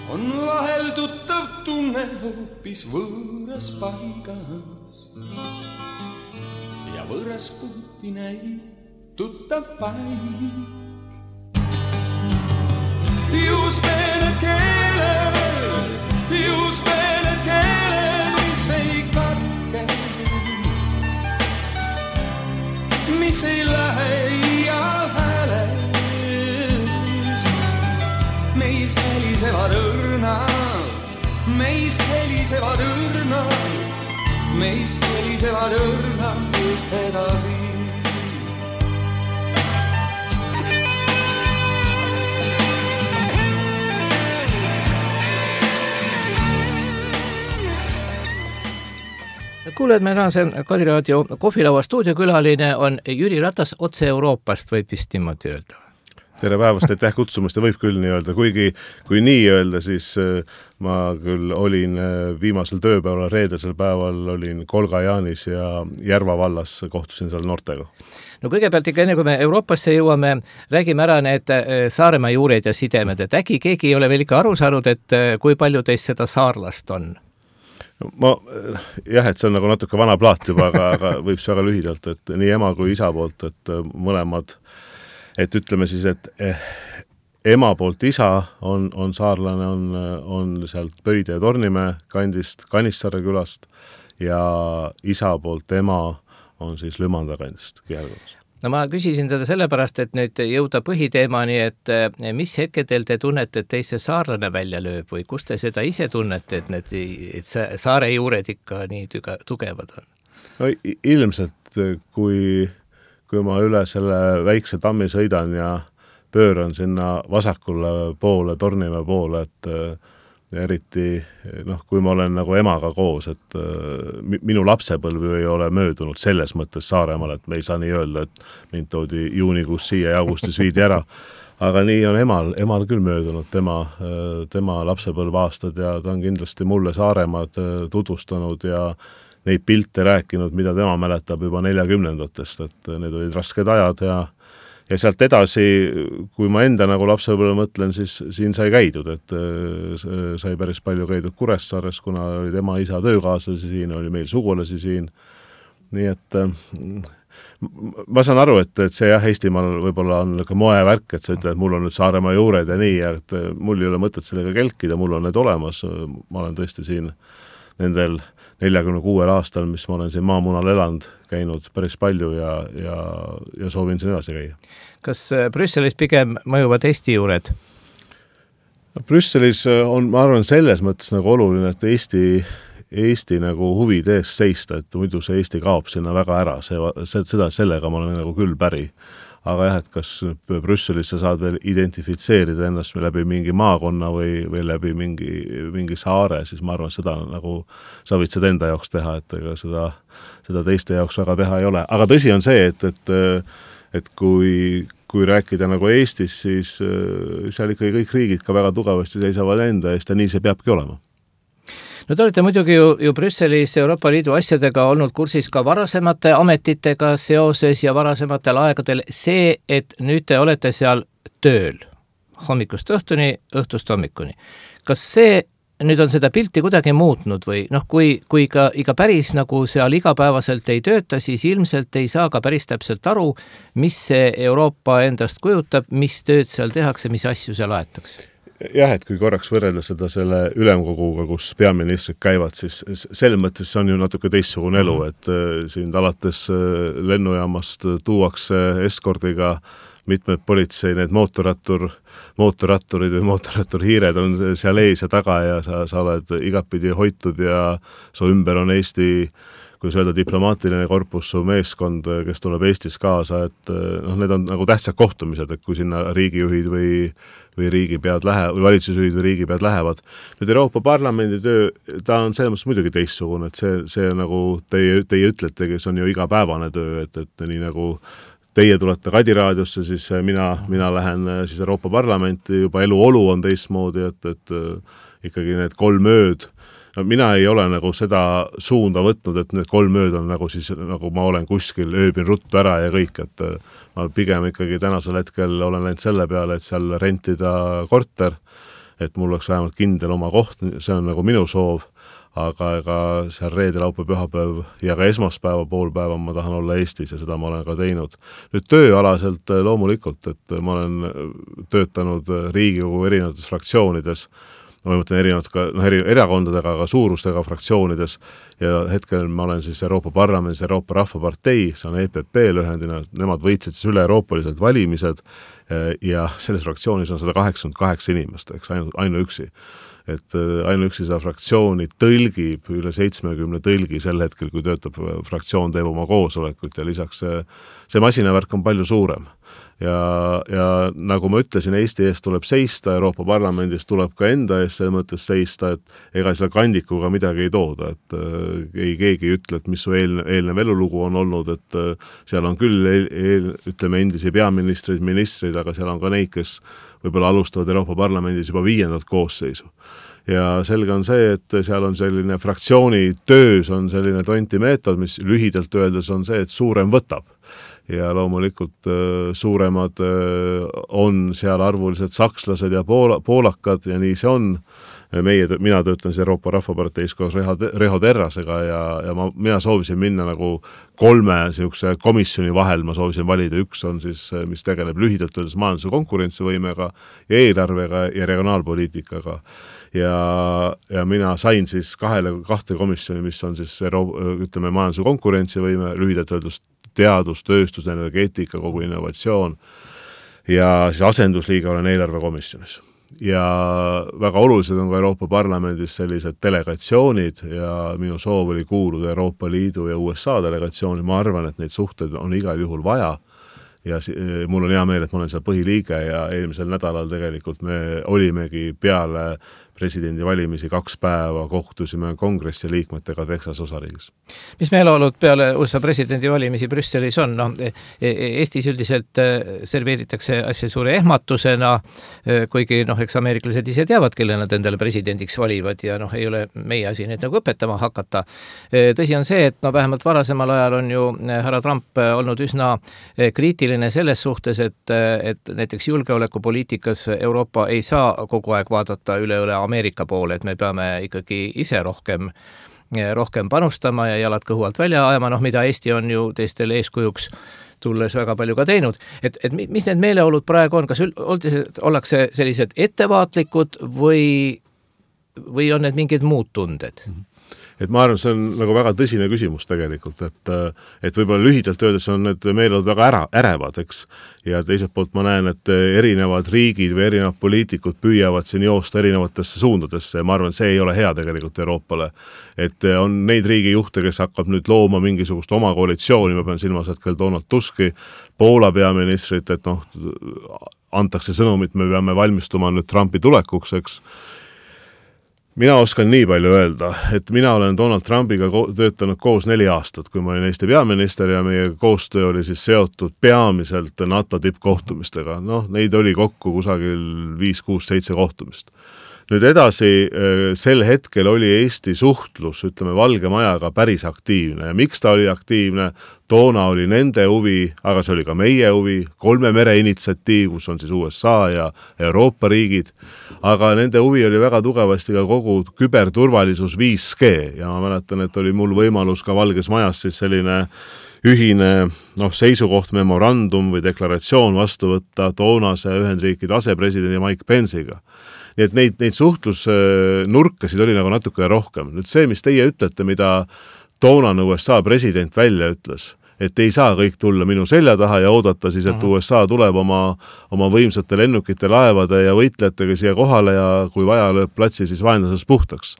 on vahel tuttav tunne hoopis võõras paigas ja võõras puhti näib tuttav paik. Just need keeled, mis ei katke, mis ei lähe iial häälest. Meist helisevad õrnad, meist helisevad õrnad edasi. Kuuled, meil on see Kadiraadio kohvilaua stuudiokülaline on Jüri Ratas otse Euroopast, võib vist niimoodi öelda. Tere päevast, aitäh kutsumast ja võib küll nii öelda. Kui nii öelda, siis ma küll olin viimasel tööpäeval, reedesel päeval olin Kolga-Jaanis ja Järva vallas, kohtusin seal noortega. No kõigepealt ikka enne, kui me Euroopasse jõuame, räägime ära need Saaremaa juured ja sidemed, et äkki keegi ei ole veel ikka aru saanud, et kui palju teist seda saarlast on? Et see on nagu natuke vana plaat juba, aga võib see väga lühidalt, et nii ema kui isa poolt, et mõlemad, et ütleme siis, et ema poolt isa on saarlane, on sealt Pöide ja Tornimäe kandist, Kanissare külast ja isa poolt ema on siis Lümanda kandist Kihelgõmas. No ma küsisin teda sellepärast, et nüüd jõuda põhiteemani, et mis hetkedel te tunnete, et teise saarlane välja lööb või kus te seda ise tunnete, et saare juured ikka nii tugevad on? No, ilmselt, kui ma üle selle väikse tammi sõidan ja pööran sinna vasakule poole, Tornimäe poole, et eriti, kui ma olen nagu emaga koos, et minu lapsepõlv ei ole möödunud selles mõttes Saaremaal, et me ei saa nii öelda, et mind toodi juunikuus siia ja augustis viidi ära. Aga nii on emal küll möödunud tema lapsepõlvaastad ja ta on kindlasti mulle Saaremaad tutvustanud ja neid pilte rääkinud, mida tema mäletab juba 40-ndatest, et need olid rasked ajad ja sealt edasi, kui ma enda nagu lapsepõlve mõtlen, siis siin sai käidud, et sai päris palju käidud Kuressaares, kuna oli tema isa töökaaslasi siin, oli meil sugulasi siin. Nii et ma saan aru, et see Eestimaal võib-olla on moevärk, et sa ütled, et mul on nüüd Saaremaa juured ja nii, et mul ei ole mõtet sellega kelkida, mul on need olemas. Ma olen tõesti siin nendel 46 aastal, mis ma olen siin maamunal elanud, käinud päris palju ja soovin siin edasi käia. Kas Brüsselis pigem mõjuvad Eesti juured? Brüsselis on, ma arvan, selles mõttes nagu oluline, et Eesti nagu huvide eest seista, et muidu see Eesti kaob sinna väga ära. Sellega ma olen nagu küll päri. Aga jah, et kas Brüsselis sa saad veel identifitseerida ennast läbi mingi maakonna või läbi mingi saare, siis ma arvan, seda nagu sa võid seda enda jaoks teha, et ega seda teiste jaoks väga teha ei ole. Aga tõsi on see, et kui rääkida nagu Eestis, siis seal ikkagi kõik riigid ka väga tugevasti seisavad enda eest ja nii see peabki olema. No te olete muidugi ju Brüsselis Euroopa Liidu asjadega olnud kursis ka varasemate ametitega seoses ja varasematel aegadel see, et nüüd te olete seal tööl hommikust õhtuni, õhtust hommikuni. Kas see nüüd on seda pilti kuidagi muutnud või kui iga päris nagu seal igapäevaselt ei tööta, siis ilmselt ei saa ka päris täpselt aru, mis see Euroopa endast kujutab, mis tööd seal tehakse, mis asju seal aetakse? Jah, et kui korraks võrrelda seda selle ülemkoguga, kus peaministrid käivad, siis selles mõttes see on ju natuke teistsugune elu, et siin alates lennujaamast tuuakse eskordiga mitmed politsei, need mootorratturid või mootorratturhiired on seal ees ja taga ja sa oled igatpidi hoitud ja su ümber on Eesti, kui öelda diplomaatiline korpus, su meeskond, kes tuleb Eestis kaasa, et need on nagu tähtsad kohtumised, et kui sinna riigijuhid või riigipead või valitsusjuhid või riigipead lähevad. Nüüd Euroopa Parlamendi töö, ta on selles mõttes muidugi teistsugune, et see nagu teie ütletegi, see on ju igapäevane töö, et nii nagu teie tulete Kadiraadiosse, siis mina lähen siis Euroopa Parlamenti, juba eluolu on teistmoodi, et ikkagi need 3 ööd. Mina ei ole nagu seda suunda võtnud, et need 3 ööd on nagu siis, nagu ma olen kuskil, ööbin ruttu ära ja kõik, et ma pigem ikkagi tänasel hetkel olen läinud selle peale, et seal rentida korter, et mul oleks vähemalt kindel oma koht, see on nagu minu soov, aga seal reede, laupäev, pühapäev ja ka esmaspäeva pool päeva ma tahan olla Eestis ja seda ma olen ka teinud. Nüüd tööalaselt loomulikult, et ma olen töötanud Riigikogu erinevates fraktsioonides, ma mõtlen erinevad ka erakondadega, aga suurustega fraktsioonides ja hetkel ma olen siis Euroopa Parlamendis Euroopa Rahvapartei, see on EPP lühendina, nemad võitsid siis üle euroopalised valimised ja selles fraktsioonis on 188 inimest, eks ainuüksi. Et ainuüksi seda fraktsiooni tõlgib üle 70 tõlgi sel hetkel, kui töötab fraktsioon, teeb oma koosolekut ja lisaks see masinavärk on palju suurem. Ja nagu ma ütlesin, Eesti eest tuleb seista, Euroopa Parlamendis tuleb ka enda eest selles mõttes seista, et ega selle kandikuga midagi ei tooda, et ei keegi ütle, et mis su eelnev elulugu on olnud, et seal on küll ütleme endisi peaministrid, ministrid, aga seal on ka neid, kes võib-olla alustavad Euroopa Parlamendis juba 5. koosseisu. Ja selge on see, et seal on selline fraktsiooni töös on selline tonti meetod, mis lühidalt öeldes on see, et suurem võtab. Ja loomulikult suuremad on seal arvuliselt sakslased ja poolakad ja nii see on. Mina töötan siis Euroopa Rahvaparteis koos Reho Terrasega ja mina soovisin minna nagu 3 komisjoni vahel, ma soovisin valida, üks on siis, mis tegeleb lühidalt öeldes majanduse konkurentsivõimega ja eelarvega ja regionaalpoliitikaga. Ja mina sain siis 2 komisjoni, mis on siis ütleme majanduse konkurentsivõime, lühidalt öeldes teadus, tööstus, energeetika, kogu innovatsioon ja siis asendusliiga olen eelarvekomisjonis. Ja väga olulised on ka Euroopa Parlamendis sellised delegatsioonid ja minu soov oli kuuluda Euroopa Liidu ja USA delegatsiooni, ma arvan, et neid suhteid on igal juhul vaja ja mul on hea meel, et ma olen seal põhiliige ja eelmisel nädalal tegelikult me olimegi peale presidendi valimisi 2 päeva kohtusime kongressi liikmetega Texas osariigis. Mis meeleolud peale USA presidendi valimisi Brüsselis on? No, Eestis üldiselt serveeritakse asja suure ehmatusena, kuigi eks ameeriklased ise teavad, kelle nad endale presidendiks valivad ja ei ole meie asi neid nagu õpetama hakata. Tõsi on see, et vähemalt varasemal ajal on ju härra Trump olnud üsna kriitiline selles suhtes, et näiteks julgeolekupoliitikas Euroopa ei saa kogu aeg vaadata üle Ameerika poole, et me peame ikkagi ise rohkem panustama ja jalad kõhu alt välja ajama, mida Eesti on ju teistele eeskujuks tulles väga palju ka teinud. Et mis need meeleolud praegu on? Kas ollakse sellised ettevaatlikud või on need mingid muud tunded? Et ma arvan, see on nagu väga tõsine küsimus tegelikult, et võib-olla lühidalt öeldes on need meeleolud väga ärevad, eks. Ja teiselt poolt ma näen, et erinevad riigid või erinevad poliitikud püüavad siin joosta erinevatesse suundadesse ja ma arvan, see ei ole hea tegelikult Euroopale. Et on neid riigijuhte, kes hakkab nüüd looma mingisugust oma koalitsiooni, ma pean silmas hetkel Donald Tuski, Poola peaministrit, et antakse sõnumit, me peame valmistuma nüüd Trumpi tulekuks, eks. Mina oskan nii palju öelda, et mina olen Donald Trumpiga töötanud koos 4 aastat, kui ma olin Eesti peaminister ja meie koostöö oli siis seotud peamiselt NATO tippkohtumistega. Neid oli kokku kusagil 5, 6, 7 kohtumist. Nüüd edasi, sel hetkel oli Eesti suhtlus, ütleme, Valge Majaga päris aktiivne ja miks ta oli aktiivne, toona oli nende huvi, aga see oli ka meie huvi, 3 mere initsiatiiv, kus on siis USA ja Euroopa riigid, aga nende huvi oli väga tugevasti ka kogu küberturvalisus 5G ja ma mäletan, et oli mul võimalus ka Valges Majas siis selline ühine seisukoht, memorandum või deklaratsioon vastu võtta toonase Ühendriikide asepresidendi Mike Pence'iga. Nii et neid suhtlusnurkasid oli nagu natukene rohkem. Nüüd see, mis teie ütlete, mida toonane USA president välja ütles, et ei saa kõik tulla minu selja taha ja oodata siis, et USA tuleb oma võimsate lennukite, laevade ja võitlejatega siia kohale ja kui vaja lööb platsi, siis vaenlasest puhtaks.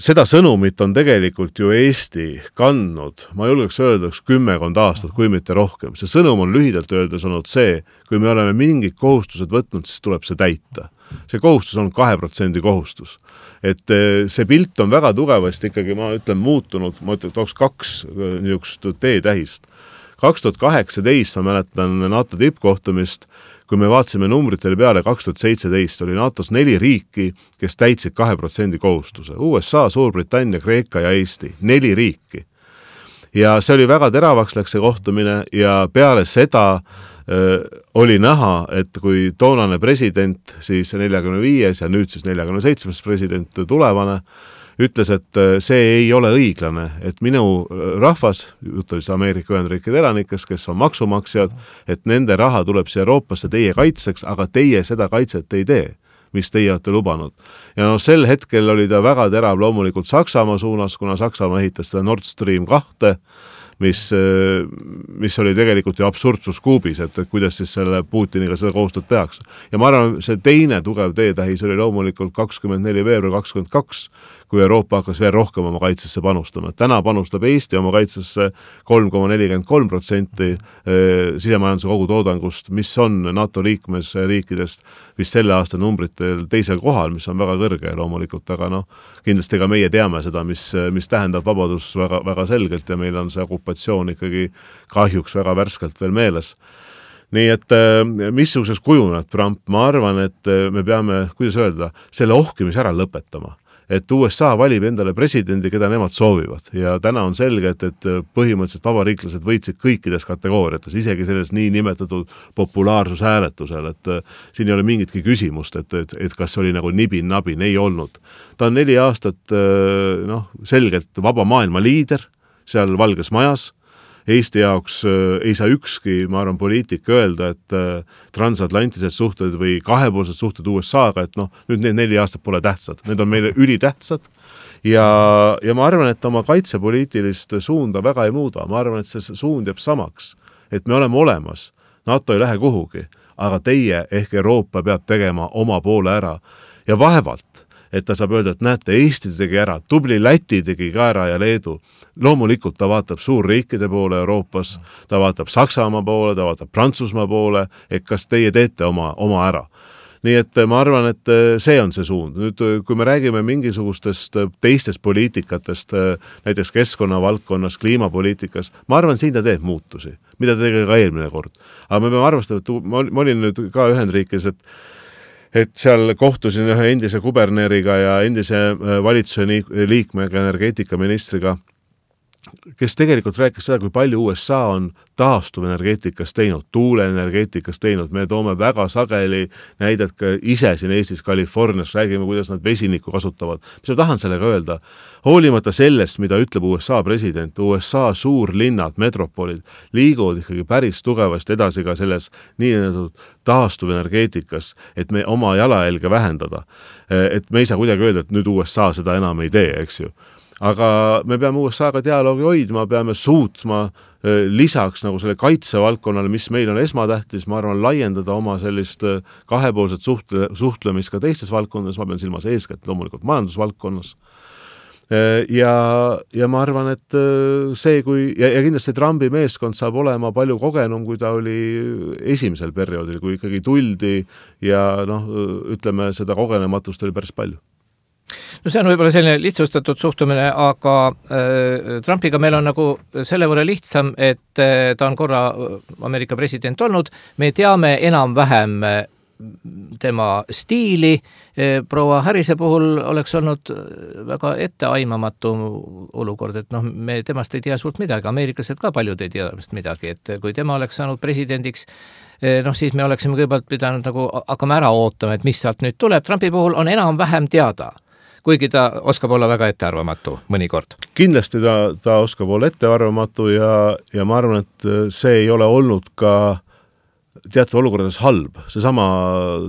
Seda sõnumit on tegelikult ju Eesti kandnud, ma julgeks öelda 10 aastat, kui mitte rohkem. See sõnum on lühidalt öeldes olnud see, kui me oleme mingid kohustused võtnud, siis tuleb see täita. See kohustus on 2% kohustus. Et see pilt on väga tugevasti ikkagi, ma ütlen, muutunud, ma tooks 2 niisugust teetähist. 2018 ma mäletan NATO tippkohtumist, kui me vaatasime numbritele peale 2017, oli NATOs 4 riiki, kes täitsid 2% kohustuse. USA, Suurbritannia, Kreeka ja Eesti. 4 riiki. Ja see oli väga teravaks läks see kohtumine ja peale seda oli näha, et kui toonane president, siis 45 ja nüüd siis 47 president tulevane, ütles, et see ei ole õiglane, et minu rahvas, jutt oli Ameerika Ühendriikide elanikest, kes on maksumaksjad, et nende raha tuleb siia Euroopasse teie kaitseks, aga teie seda kaitset ei tee, mis teie olete lubanud. Ja sel hetkel oli ta väga terav loomulikult Saksamaa suunas, kuna Saksamaa ehitas seda Nord Stream 2, mis oli tegelikult ju absurdsuskuubis, et kuidas siis selle Putiniga seda koostööd tehakse. Ja ma arvan, see teine tugev teetähis oli loomulikult 24. veebruar 22, kui Euroopa hakkas veel rohkem oma kaitsesse panustama. Täna panustab Eesti oma kaitsesse 3,43% sisemajanduse kogutoodangust, mis on NATO liikmesriikidest vist selle aasta numbritel teisel kohal, mis on väga kõrge loomulikult, aga kindlasti ka meie teame seda, mis tähendab vabadus väga, väga selgelt ja meil on see okupatsioon ikkagi kahjuks väga värskelt veel meeles. Nii et missuguseks kujuneb Trump, ma arvan, et me peame, kuidas öelda, selle ohkimise ära lõpetama. Et USA valib endale presidendi, keda nemad soovivad ja täna on selge, et põhimõtteliselt vabariiklased võitsid kõikides kategooriates, isegi selles nii nimetatud populaarsushääletusel, et siin ei ole mingitki küsimust, et kas oli nagu nibin-nabin, ei olnud. Ta on 4 aastat selgelt vaba maailma liider seal Valges Majas. Eesti jaoks ei saa ükski, ma arvan, poliitik öelda, et transatlantilised suhted või kahepoolsed suhted USA-ga, et nüüd need 4 aastat pole tähtsad. Need on meile ülitähtsad ja ma arvan, et oma kaitsepoliitilist suunda väga ei muuda. Ma arvan, et see suund jääb samaks, et me oleme olemas. NATO ei lähe kuhugi, aga teie ehk Euroopa peab tegema oma poole ära ja vaevalt, et ta saab öelda, et näete, Eesti tegi ära, tubli Läti tegi ka ära ja Leedu. Loomulikult ta vaatab suurriikide poole Euroopas, ta vaatab Saksamaa poole, ta vaatab Prantsusmaa poole, et kas teie teete oma ära. Nii et ma arvan, et see on see suund. Nüüd, kui me räägime mingisugustest teistest poliitikatest, näiteks keskkonnavaldkonnas, kliimapoliitikas, ma arvan, siin ta teeb muutusi, mida ta tegi ka eelmine kord. Aga me peame arvestama, et ma olin nüüd ka Ühendriikis, et seal kohtusin ühe endise kuberneriga ja endise valitsuse liikmega, energeetikaministriga, kes tegelikult rääkis seda, kui palju USA on taastuvenergeetikas teinud, tuuleenergeetikas teinud. Me toome väga sageli näidet ka ise siin Eestis, Californias, räägime, kuidas nad vesinikku kasutavad. Mis ma tahan sellega öelda? Hoolimata sellest, mida ütleb USA president, USA suurlinnad, metropolid liiguvad ikkagi päris tugevasti edasi ka selles nii-öelda taastuvenergeetikas, et me oma jalajälge vähendada. Et me ei saa kuidagi öelda, et nüüd USA seda enam ei tee, eks ju. Aga me peame USA-ga dialoogi hoidma, peame suutma lisaks nagu selle kaitsevaldkonnale, mis meil on esmatähtis, ma arvan, laiendada oma sellist kahepoolset suhtlemist ka teistes valdkondades, ma pean silmas eeskätt loomulikult majandusvaldkonnas. Ja ma arvan, et see, ja kindlasti Trumpi meeskond saab olema palju kogenum, kui ta oli esimesel perioodil, kui ikkagi tuldi ja ütleme, seda kogenematust oli päris palju. No see on võib-olla selline lihtsustatud suhtumine, aga Trumpiga meil on nagu selle võrra lihtsam, et ta on korra Ameerika president olnud, me teame enam-vähem tema stiili, proua Harrise puhul oleks olnud väga etteaimamatu olukord, et me temast ei tea suurt midagi, ameeriklased ka paljud ei tea temast midagi, et kui tema oleks saanud presidendiks, siis me oleksime kõigepealt pidanud nagu hakkama ära ootama, et mis sealt nüüd tuleb. Trumpi puhul on enam-vähem teada, kuigi ta oskab olla väga ettearvamatu mõnikord. Kindlasti ta oskab olla ettearvamatu ja ma arvan, et see ei ole olnud ka teatud olukordades halb. Seesama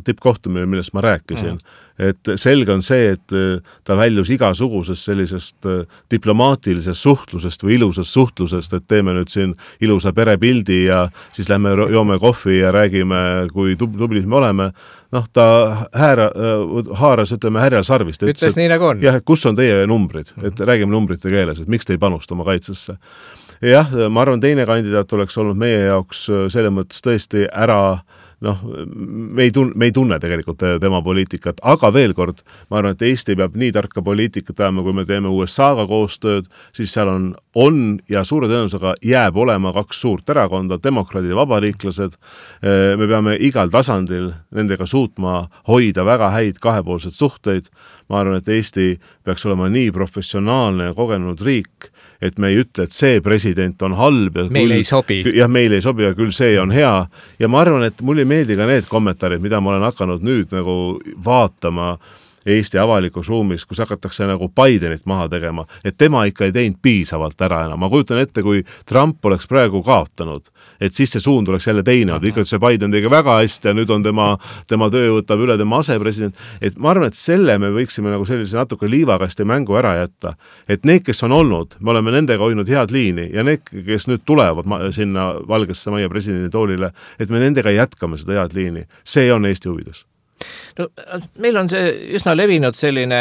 tippkohtumine, millest ma rääkisin. Et selge on see, et ta väljus igasugusest sellisest diplomaatilisest suhtlusest või ilusast suhtlusest, et teeme nüüd siin ilusa perepildi ja siis lähme joome kohvi ja räägime, kui tublid me oleme. Ta haaras, ütleme, härjal sarvist. Ütles nii nagu on. Jah, kus on teie numbrid? Et räägime numbrite keeles, et miks te ei panusta oma kaitsesse? Jah, ma arvan, teine kandidaat oleks olnud meie jaoks selle mõttes tõesti ära, me ei tunne tegelikult tema poliitikat, aga veel kord, ma arvan, et Eesti peab nii tarka poliitikat ajama, kui me teeme USA-ga koostööd, siis seal on on ja suure tõenäosusega jääb olema kaks suurt erakonda, demokraadid ja vabariiklased. Me peame igal tasandil nendega suutma hoida väga häid kahepoolsed suhteid. Ma arvan, et Eesti peaks olema nii professionaalne ja kogenud riik, et me ei ütle, et see president on halb. Ja meil ei sobi. Jah, meil ei sobi ja küll see on hea. Ja ma arvan, et mulle ei meeldi ka need kommentaarid, mida ma olen hakanud nüüd nagu vaatama Eesti avalikus ruumis, kus hakatakse nagu Bidenit maha tegema, et tema ikka ei teinud piisavalt ära enam. Ma kujutan ette, kui Trump oleks praegu kaotanud, et siis see suund oleks jälle teine. Ikka see Biden tegi väga hästi ja nüüd on tema töö võtab üle tema asepresident. Et ma arvan, et selle me võiksime nagu sellise natuke liivakasti mängu ära jätta. Et need, kes on olnud, me oleme nendega hoidnud head liini ja need, kes nüüd tulevad sinna Valgesse Majja presidendi toolile, et me nendega jätkame seda head liini. See on Eesti huvides. No, meil on see üsna levinud selline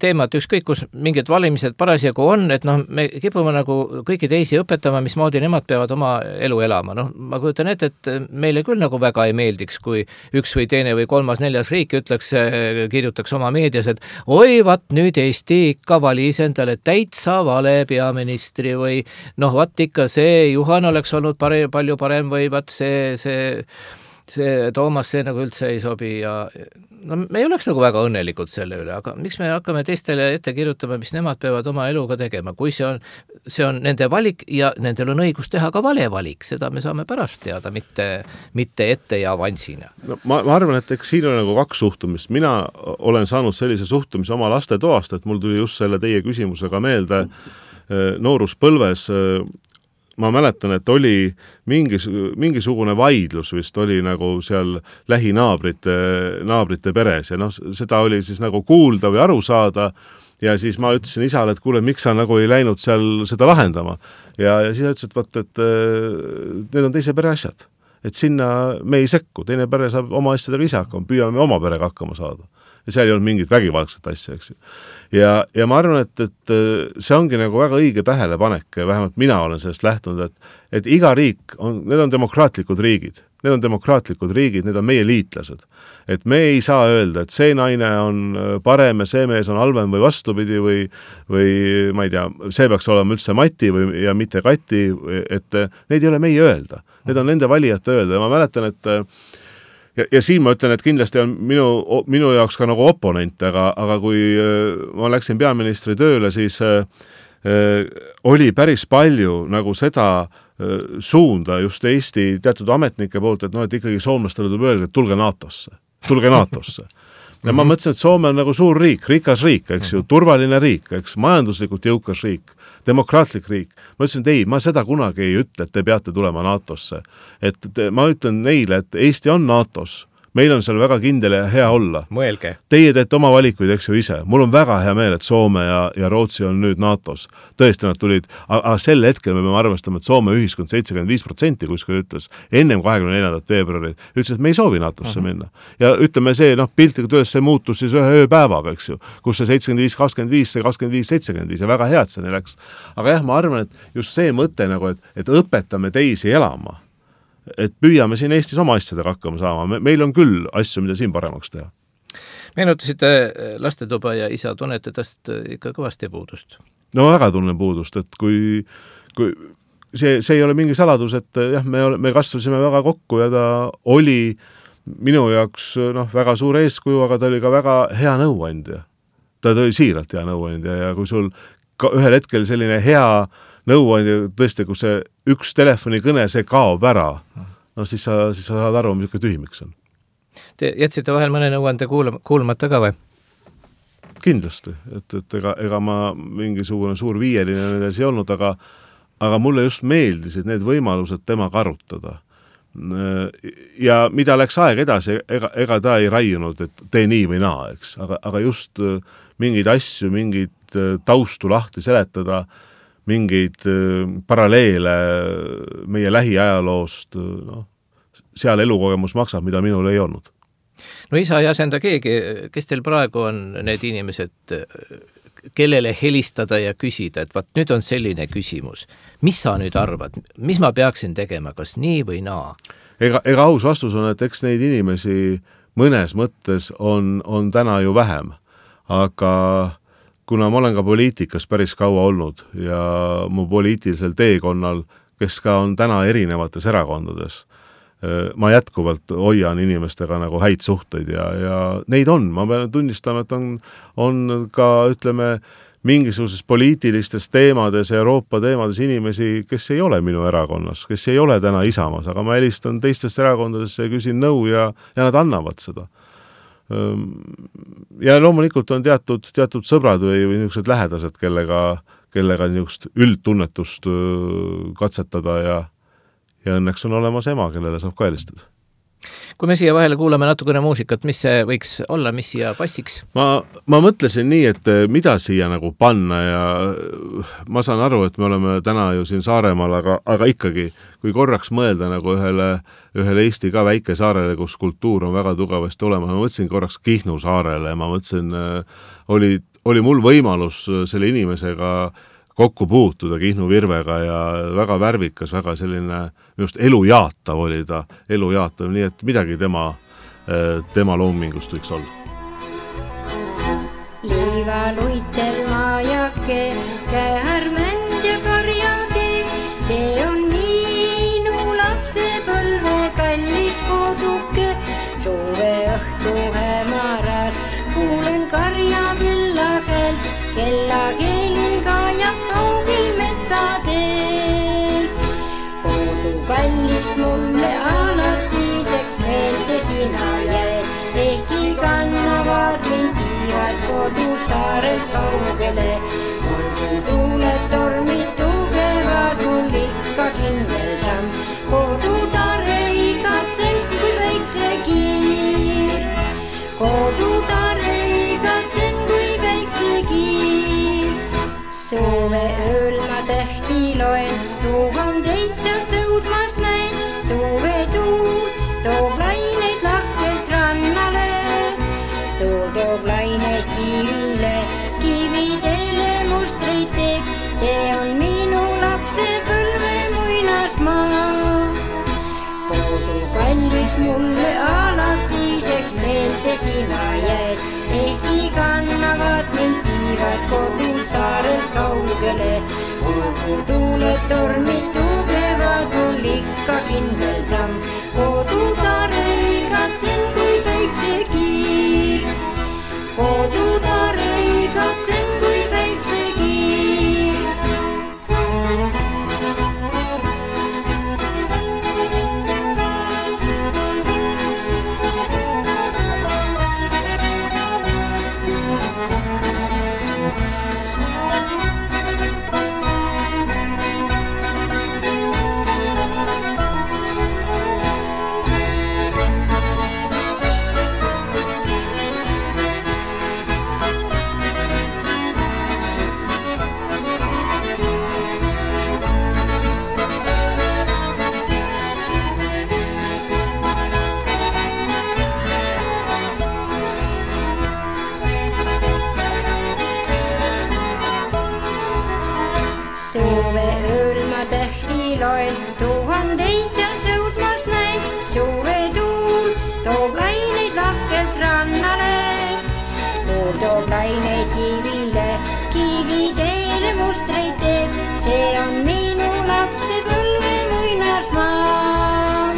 teema, et ükskõik kus mingid valimised parasjagu on, et me kipume nagu kõiki teisi õpetama, mismoodi nemad peavad oma elu elama. Ma kujutan ette, et meile küll nagu väga ei meeldiks, kui üks või teine või kolmas, neljas riik kirjutaks oma meedias, et oi, vat nüüd Eesti ikka valis endale täitsa vale peaministri või vat ikka see Juhan oleks olnud palju parem või vat see Toomas, see nagu üldse ei sobi ja me ei oleks nagu väga õnnelikud selle üle, aga miks me hakkame teistele ette kirjutama, mis nemad peavad oma eluga tegema, kui see on nende valik ja nendel on õigus teha ka vale valik, seda me saame pärast teada, mitte ette ja avansina. No, ma arvan, et eks siin on nagu kaks suhtumist. Mina olen saanud sellise suhtumise oma laste toast, et mul tuli just selle teie küsimusega meelde nooruspõlves. Ma mäletan, et oli mingisugune vaidlus vist oli nagu seal lähinaabrite peres ja seda oli siis nagu kuulda või aru saada ja siis ma ütlesin isale, et kuule, miks sa nagu ei läinud seal seda lahendama ja siis ütles, et need on teise pere asjad, et sinna me ei sekku, teine pere saab oma asjadega ise hakkama, püüame oma perega hakkama saada. Ja seal ei olnud mingit vägivaldset asja, eks. Ja ma arvan, et see ongi nagu väga õige tähelepanek, vähemalt mina olen sellest lähtunud, et iga riik need on demokraatlikud riigid. Need on demokraatlikud riigid, need on meie liitlased. Et me ei saa öelda, et see naine on parem ja see mees on halvem või vastupidi või ma ei tea, see peaks olema üldse Mati ja mitte Kati, et neid ei ole meie öelda. Need on nende valijate öelda ja ma mäletan, et ja siin ma ütlen, et kindlasti on minu jaoks ka nagu oponent, aga kui ma läksin peaministri tööle, siis oli päris palju nagu seda suunda just Eesti teatud ametnike poolt, et ikkagi soomlastele tuleb öelda, et tulge NATO-sse. Ja ma mõtlesin, et Soome on nagu suur riik, rikas riik, eks ju, turvaline riik, eks, majanduslikult jõukas riik, demokraatlik riik. Ma ütlesin, et ei, ma seda kunagi ei ütle, et te peate tulema NATO-sse. Et ma ütlen neile, et Eesti on NATO-s. Meil on seal väga kindel ja hea olla. Mõelge. Teie teete oma valikuid, eks ju ise. Mul on väga hea meel, et Soome ja Rootsi on nüüd NATO-s. Tõesti nad tulid, aga sel hetkel me peame arvestama, et Soome ühiskond 75% kuskil ütles ennem 24. veebruari, ütles, et me ei soovi NATO-sse minna. Ja ütleme see, piltlikult öeldes see muutus siis ühe ööpäevaga, eks ju, kus see 75-25, see 25-75 ja väga head see neil läks. Aga jah, ma arvan, et just see mõte nagu, et õpetame teisi elama. Et püüame siin Eestis oma asjadega hakkama saama. Meil on küll asju, mida siin paremaks teha. Meenutasite lastetuba ja isa tunnete tast ikka kõvasti puudust? No väga tunnen puudust, et kui see ei ole mingi saladus, et jah, me kasvasime väga kokku ja ta oli minu jaoks väga suur eeskuju, aga ta oli ka väga hea nõuandja. Ta oli siiralt hea nõuandja ja kui sul ühel hetkel selline hea nõuandja tõesti, kui see üks telefonikõne, see kaob ära, siis sa saad aru, mis tühimiks on. Te jätsite vahel mõne nõuande kuulmata ka või? Kindlasti, et ega ma mingisugune suur viieline nendes ei olnud, aga mulle just meeldisid need võimalused temaga arutada. Ja mida läks aeg edasi, ega ta ei raiunud, et tee nii või naa, eks, aga just mingeid asju, mingid taustu lahti seletada, mingeid paralleele meie lähiajaloost, seal elukogemus maksab, mida minul ei olnud. No isa ei asenda keegi, kes teil praegu on need inimesed, kellele helistada ja küsida, et vaat nüüd on selline küsimus. Mis sa nüüd arvad? Mis ma peaksin tegema, kas nii või naa? Ega aus vastus on, et eks neid inimesi mõnes mõttes on täna ju vähem, aga kuna ma olen ka poliitikas päris kaua olnud ja mu poliitilisel teekonnal, kes ka on täna erinevates erakondades, ma jätkuvalt hoian inimestega nagu häid suhteid ja neid on, ma pean tunnistama, et on ka, ütleme, mingisuguses poliitilistes teemades, Euroopa teemades inimesi, kes ei ole minu erakonnas, kes ei ole täna Isamaas, aga ma helistan teistest erakondadesse ja küsin nõu ja nad annavad seda. Ja loomulikult on teatud sõbrad või niisugused lähedased, kellega niisugust üldtunnetust katsetada ja õnneks on olemas ema, kellele saab ka helistada. Kui me siia vahele kuulame natukene muusikat, mis see võiks olla, mis siia passiks? Ma mõtlesin nii, et mida siia nagu panna ja ma saan aru, et me oleme täna ju siin Saaremaal, aga ikkagi, kui korraks mõelda nagu ühele Eesti ka väike saarele, kus kultuur on väga tugevasti olemas, ma mõtlesin korraks Kihnu saarele ja ma mõtlesin, oli mul võimalus selle inimesega kokku puutuda Kihnu Virvega ja väga värvikas, väga selline just elujaatav oli ta, nii et midagi tema loomingust võiks olla. Liiva luitel maajake, käärmänd ja karjatee, see on minu lapsepõlve kallis koduke, suve õhtu hämaras, kuulen karja küllagel, kella keelin kajab kaugil metsateel. Kodu kallis mulle alatiseks meelde sina jäed, ehkki kannavad mind tiivad kodu saarelt kaugele. Olgu tuuled, tormid tugevad, mul ikka kindel samm, kodu tare igatsen kui väikse kiir. Kodu tare igatsen kui väikse kiir. Suve ööl ma tähti loen, tuhandeid seal sõudmas näen, suve tuul toob laineid lahkelt rannale, tuul toob laineid kivile, kividele mustreid teeb, see on minu lapsepõlve muinasmaa. Kodu kallis mulle alatiseks meelde sina jäed, ehkki kannavad mind tiivad kodul saarelt kaugele. Olgu tuuled, tormid tugevad, mul ikka kindel samm, kodu tare igatsen kui väikse kiir. Kodu tare igatsen kui väikse kiir. Suve ööl ma tähti loen, tuhandeid seal sõudmas näen, suve tuul toob laineid lahkelt rannale, tuul toob laineid kivile, kividele mustreid teeb, see on minu lapsepõlve muinasmaa.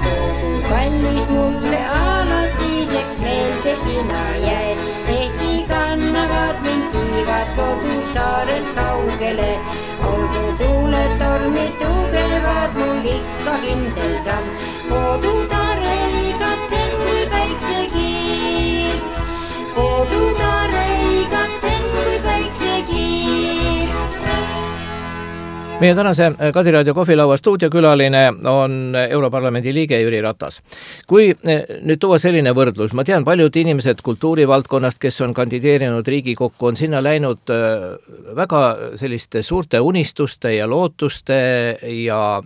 Kodu kallis mulle alatiseks meelde sina jäed, ehkki kannavad mind tiivad kodu saarelt kaugele. Olgu tuuled, tormid tugevad, mul ikka kindel samm, kodu tare igatsen kui väikse kiir. Kodu tare igatsen kui väikse kiir. Meie tänase Kadiraadio kohvilaua stuudiokülaline on Europarlamendi liige Jüri Ratas. Kui nüüd tuua selline võrdlus, ma tean, paljud inimesed kultuurivaldkonnast, kes on kandideerinud Riigikokku, on sinna läinud väga selliste suurte unistuste ja lootuste ja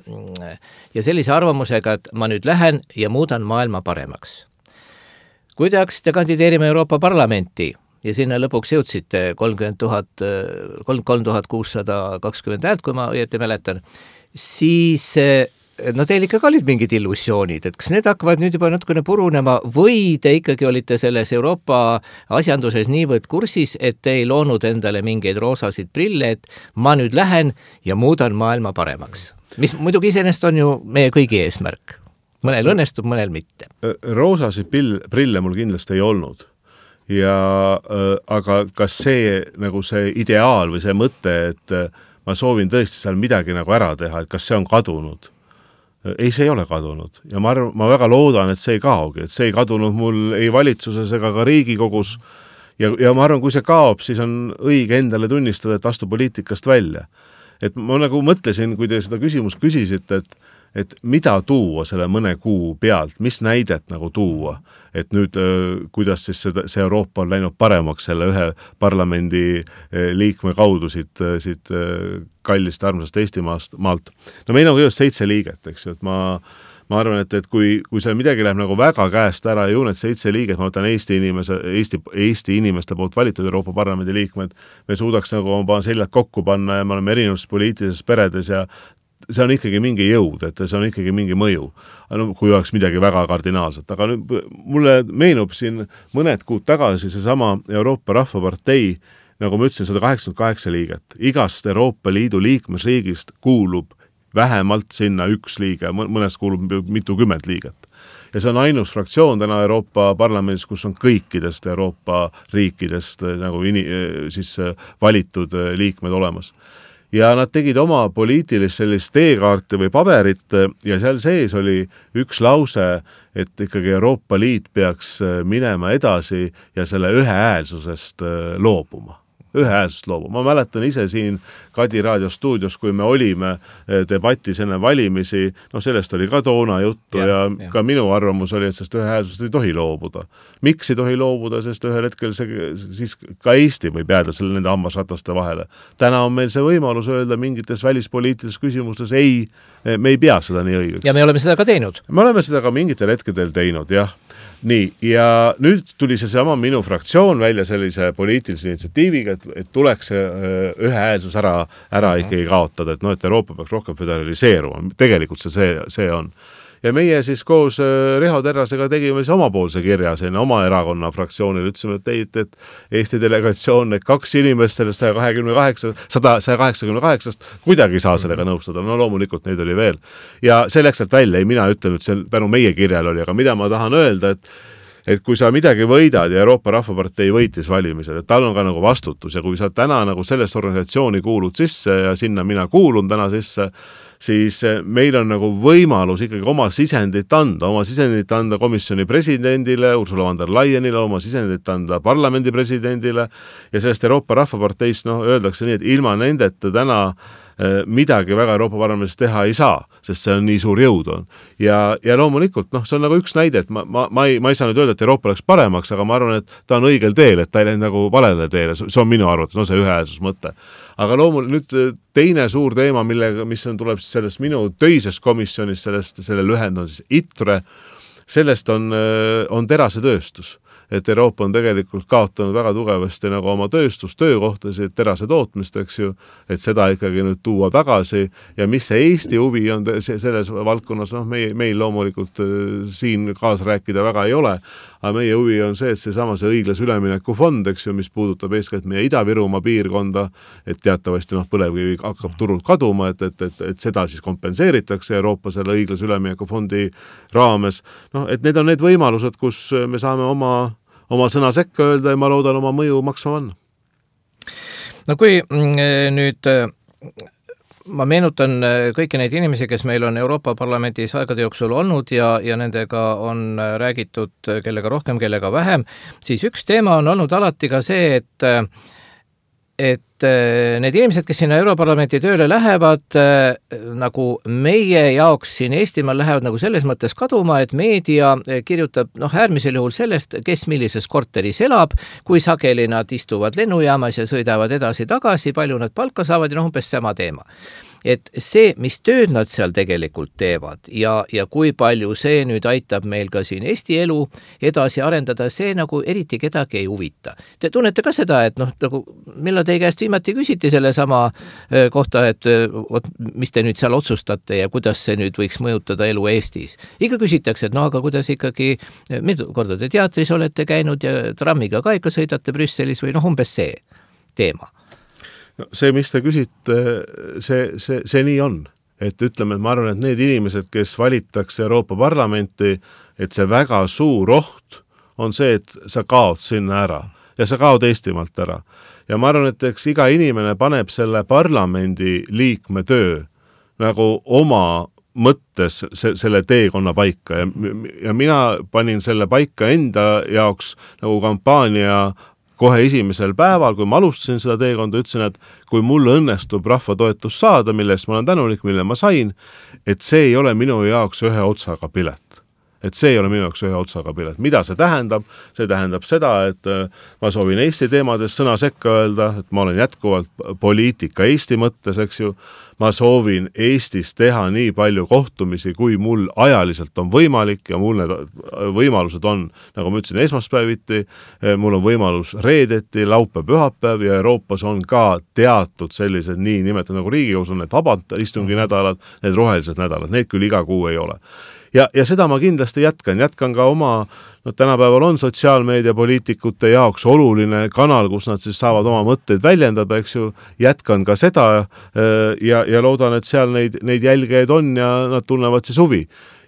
sellise arvamusega, et ma nüüd lähen ja muudan maailma paremaks. Kui te haksite kandideerima Euroopa Parlamenti ja sinna lõpuks jõudsite 33 620 häält, kui ma õieti mäletan, siis no teil ikkagi olid mingid illusioonid, et kas need hakkavad nüüd juba natukene purunema või te ikkagi olite selles Euroopa asjanduses niivõrd kursis, et te ei loonud endale mingeid roosasid prille, et ma nüüd lähen ja muudan maailma paremaks? Mis muidugi iseenesest on ju meie kõigi eesmärk. Mõnel õnnestub, mõnel mitte. Roosasid prille mul kindlasti ei olnud. Aga kas see, nagu see ideaal või see mõte, et ma soovin tõesti seal midagi nagu ära teha, et kas see on kadunud? Ei, see ei ole kadunud. Ja ma väga loodan, et see ei kaogi, et see ei kadunud mul ei valitsuses ega ka Riigikogus. Ja ma arvan, kui see kaob, siis on õige endale tunnistada, et astu poliitikast välja. Et ma nagu mõtlesin, kui te seda küsimust küsisite, et mida tuua selle mõne kuu pealt, mis näidet nagu tuua, et nüüd kuidas siis see Euroopa on läinud paremaks selle ühe parlamendi liikme kaudu siit kallist armsast Eestimaalt. No meil on kõigest 7 liiget, eks ju, et ma arvan, et kui seal midagi läheb nagu väga käest ära, ju need 7 liiget, ma võtan Eesti inimeste poolt valitud Euroopa Parlamendi liikmed, me suudaks nagu oma seljad kokku panna ja me oleme erinevates poliitilises peredes ja see on ikkagi mingi jõud, et see on ikkagi mingi mõju, kui oleks midagi väga kardinaalset. Aga nüüd mulle meenub siin mõned kuud tagasi seesama Euroopa Rahvapartei, nagu ma ütlesin, 188 liiget. Igast Euroopa Liidu liikmesriigist kuulub vähemalt sinna 1 liige, mõnest kuulub mitukümmend liiget. Ja see on ainus fraktsioon täna Euroopa Parlamendis, kus on kõikidest Euroopa riikidest nagu siis valitud liikmed olemas. Ja nad tegid oma poliitilist sellist teekaarti või paberit ja seal sees oli üks lause, et ikkagi Euroopa Liit peaks minema edasi ja selle ühehäälsusest loobuma. Ma mäletan ise siin Kadi Raadio stuudios, kui me olime debatis enne valimisi, sellest oli ka toona juttu ja ka minu arvamus oli, et sest ühehäälsusest ei tohi loobuda. Miks ei tohi loobuda, sest ühel hetkel siis ka Eesti võib jääda selle nende hammasrataste vahele. Täna on meil see võimalus öelda mingites välispoliitilistes küsimustes, ei, me ei pea seda nii õigeks. Ja me oleme seda ka teinud. Me oleme seda ka mingitel hetkedel teinud, jah. Nii, ja nüüd tuli see sama minu fraktsioon välja sellise poliitilise initsiatiiviga, et tuleks ühehäälsus ära ikkagi kaotada, et Euroopa peaks rohkem föderaliseeruma. Tegelikult see on. Ja meie siis koos Riho Terrasega tegime siis omapoolse kirja oma erakonna fraktsioonile, ütlesime, et Eesti delegatsioon, need 2 inimest sellest 188 kuidagi ei saa sellega nõustada. No loomulikult neid oli veel. Ja see läks sealt välja, ei mina ütlen, et see tänu meie kirjal oli, aga mida ma tahan öelda, et kui sa midagi võidad ja Euroopa Rahvapartei võitis valimised, et tal on ka nagu vastutus ja kui sa täna nagu sellest organisatsiooni kuulud sisse ja sinna mina kuulun täna sisse, siis meil on nagu võimalus ikkagi oma sisendit anda komisjoni presidendile, Ursula von der Leyenile, oma sisendit anda parlamendi presidendile ja sellest Euroopa Rahvaparteist öeldakse nii, et ilma nendeta täna midagi väga Euroopa Parlamendis teha ei saa, sest see on nii suur jõud on. Ja loomulikult, see on nagu üks näide, et ma ei saa nüüd öelda, et Euroopa läks paremaks, aga ma arvan, et ta on õigel teel, et ta ei läinud nagu valele teele, see on minu arvates, see ühehäälsus mõte. Aga loomulikult nüüd teine suur teema, mis tuleb sellest minu töisest komisjonist, selle lühend on siis ITRE, sellest on terasetööstus. Et Euroopa on tegelikult kaotanud väga tugevasti nagu oma töökohtasid, terase tootmist, eks ju, et seda ikkagi nüüd tuua tagasi ja mis see Eesti huvi on selles valdkonnas, meil loomulikult siin kaasa rääkida väga ei ole, aga meie huvi on see, et see õiglase ülemineku fond, eks ju, mis puudutab eeskätt meie Ida-Virumaa piirkonda, et teatavasti põlevkivi hakkab turult kaduma, et seda siis kompenseeritakse Euroopa selle õiglase ülemineku fondi raames. Et need on need võimalused, kus me saame oma sõna sekka öelda ja ma loodan oma mõju maksma panna. No kui nüüd ma meenutan kõiki neid inimesi, kes meil on Euroopa Parlamendis aegade jooksul olnud ja nendega on räägitud kellega rohkem, kellega vähem, siis üks teema on olnud alati ka see, et need inimesed, kes sinna Europarlamenti tööle lähevad, nagu meie jaoks siin Eestimaal lähevad nagu selles mõttes kaduma, et meedia kirjutab äärmisel juhul sellest, kes millises korteris elab, kui sageli nad istuvad lennujaamas ja sõidavad edasi-tagasi, palju nad palka saavad ja umbes sama teema. et see, mis tööd nad seal tegelikult teevad ja kui palju see nüüd aitab meil ka siin Eesti elu edasi arendada, see nagu eriti kedagi ei huvita. Te tunnete ka seda, et nagu millal teie käest viimati küsiti selle sama kohta, et mis te nüüd seal otsustate ja kuidas see nüüd võiks mõjutada elu Eestis. Ikka küsitakse, et aga kuidas ikkagi, mitu korda te teatris olete käinud ja trammiga ka ikka sõidate Brüsselis või umbes see teema. No, see, mis te küsite, see nii on. Et ütleme, et ma arvan, et need inimesed, kes valitakse Euroopa Parlamenti, et see väga suur oht on see, et sa kaod sinna ära ja sa kaod Eestimaalt ära. Ja ma arvan, et eks iga inimene paneb selle parlamendi liikme töö nagu oma mõttes selle teekonna paika ja mina panin selle paika enda jaoks nagu kampaania kohe esimesel päeval, kui ma alustasin seda teekonda, ütlesin, et kui mul õnnestub rahva toetus saada, millest ma olen tänulik, mille ma sain, et see ei ole minu jaoks ühe otsaga pilet. Et see ei ole minu jaoks ühe otsaga pilet. Mida see tähendab? See tähendab seda, et ma soovin Eesti teemades sõna sekka öelda, et ma olen jätkuvalt poliitika Eesti mõttes, eks ju. Ma soovin Eestis teha nii palju kohtumisi, kui mul ajaliselt on võimalik ja mul need võimalused on, nagu ma ütlesin, esmaspäeviti, mul on võimalus reedeti, laupäev, pühapäev ja Euroopas on ka teatud sellised nii nimetada nagu Riigikogus on need vabad istungi nädalad, need rohelised nädalad, need küll iga kuu ei ole. Ja seda ma kindlasti jätkan ka oma, tänapäeval on sotsiaalmeedia poliitikute jaoks oluline kanal, kus nad siis saavad oma mõtteid väljendada, eks ju, jätkan ka seda ja loodan, et seal neid jälgeid on ja nad tunnevad siis huvi.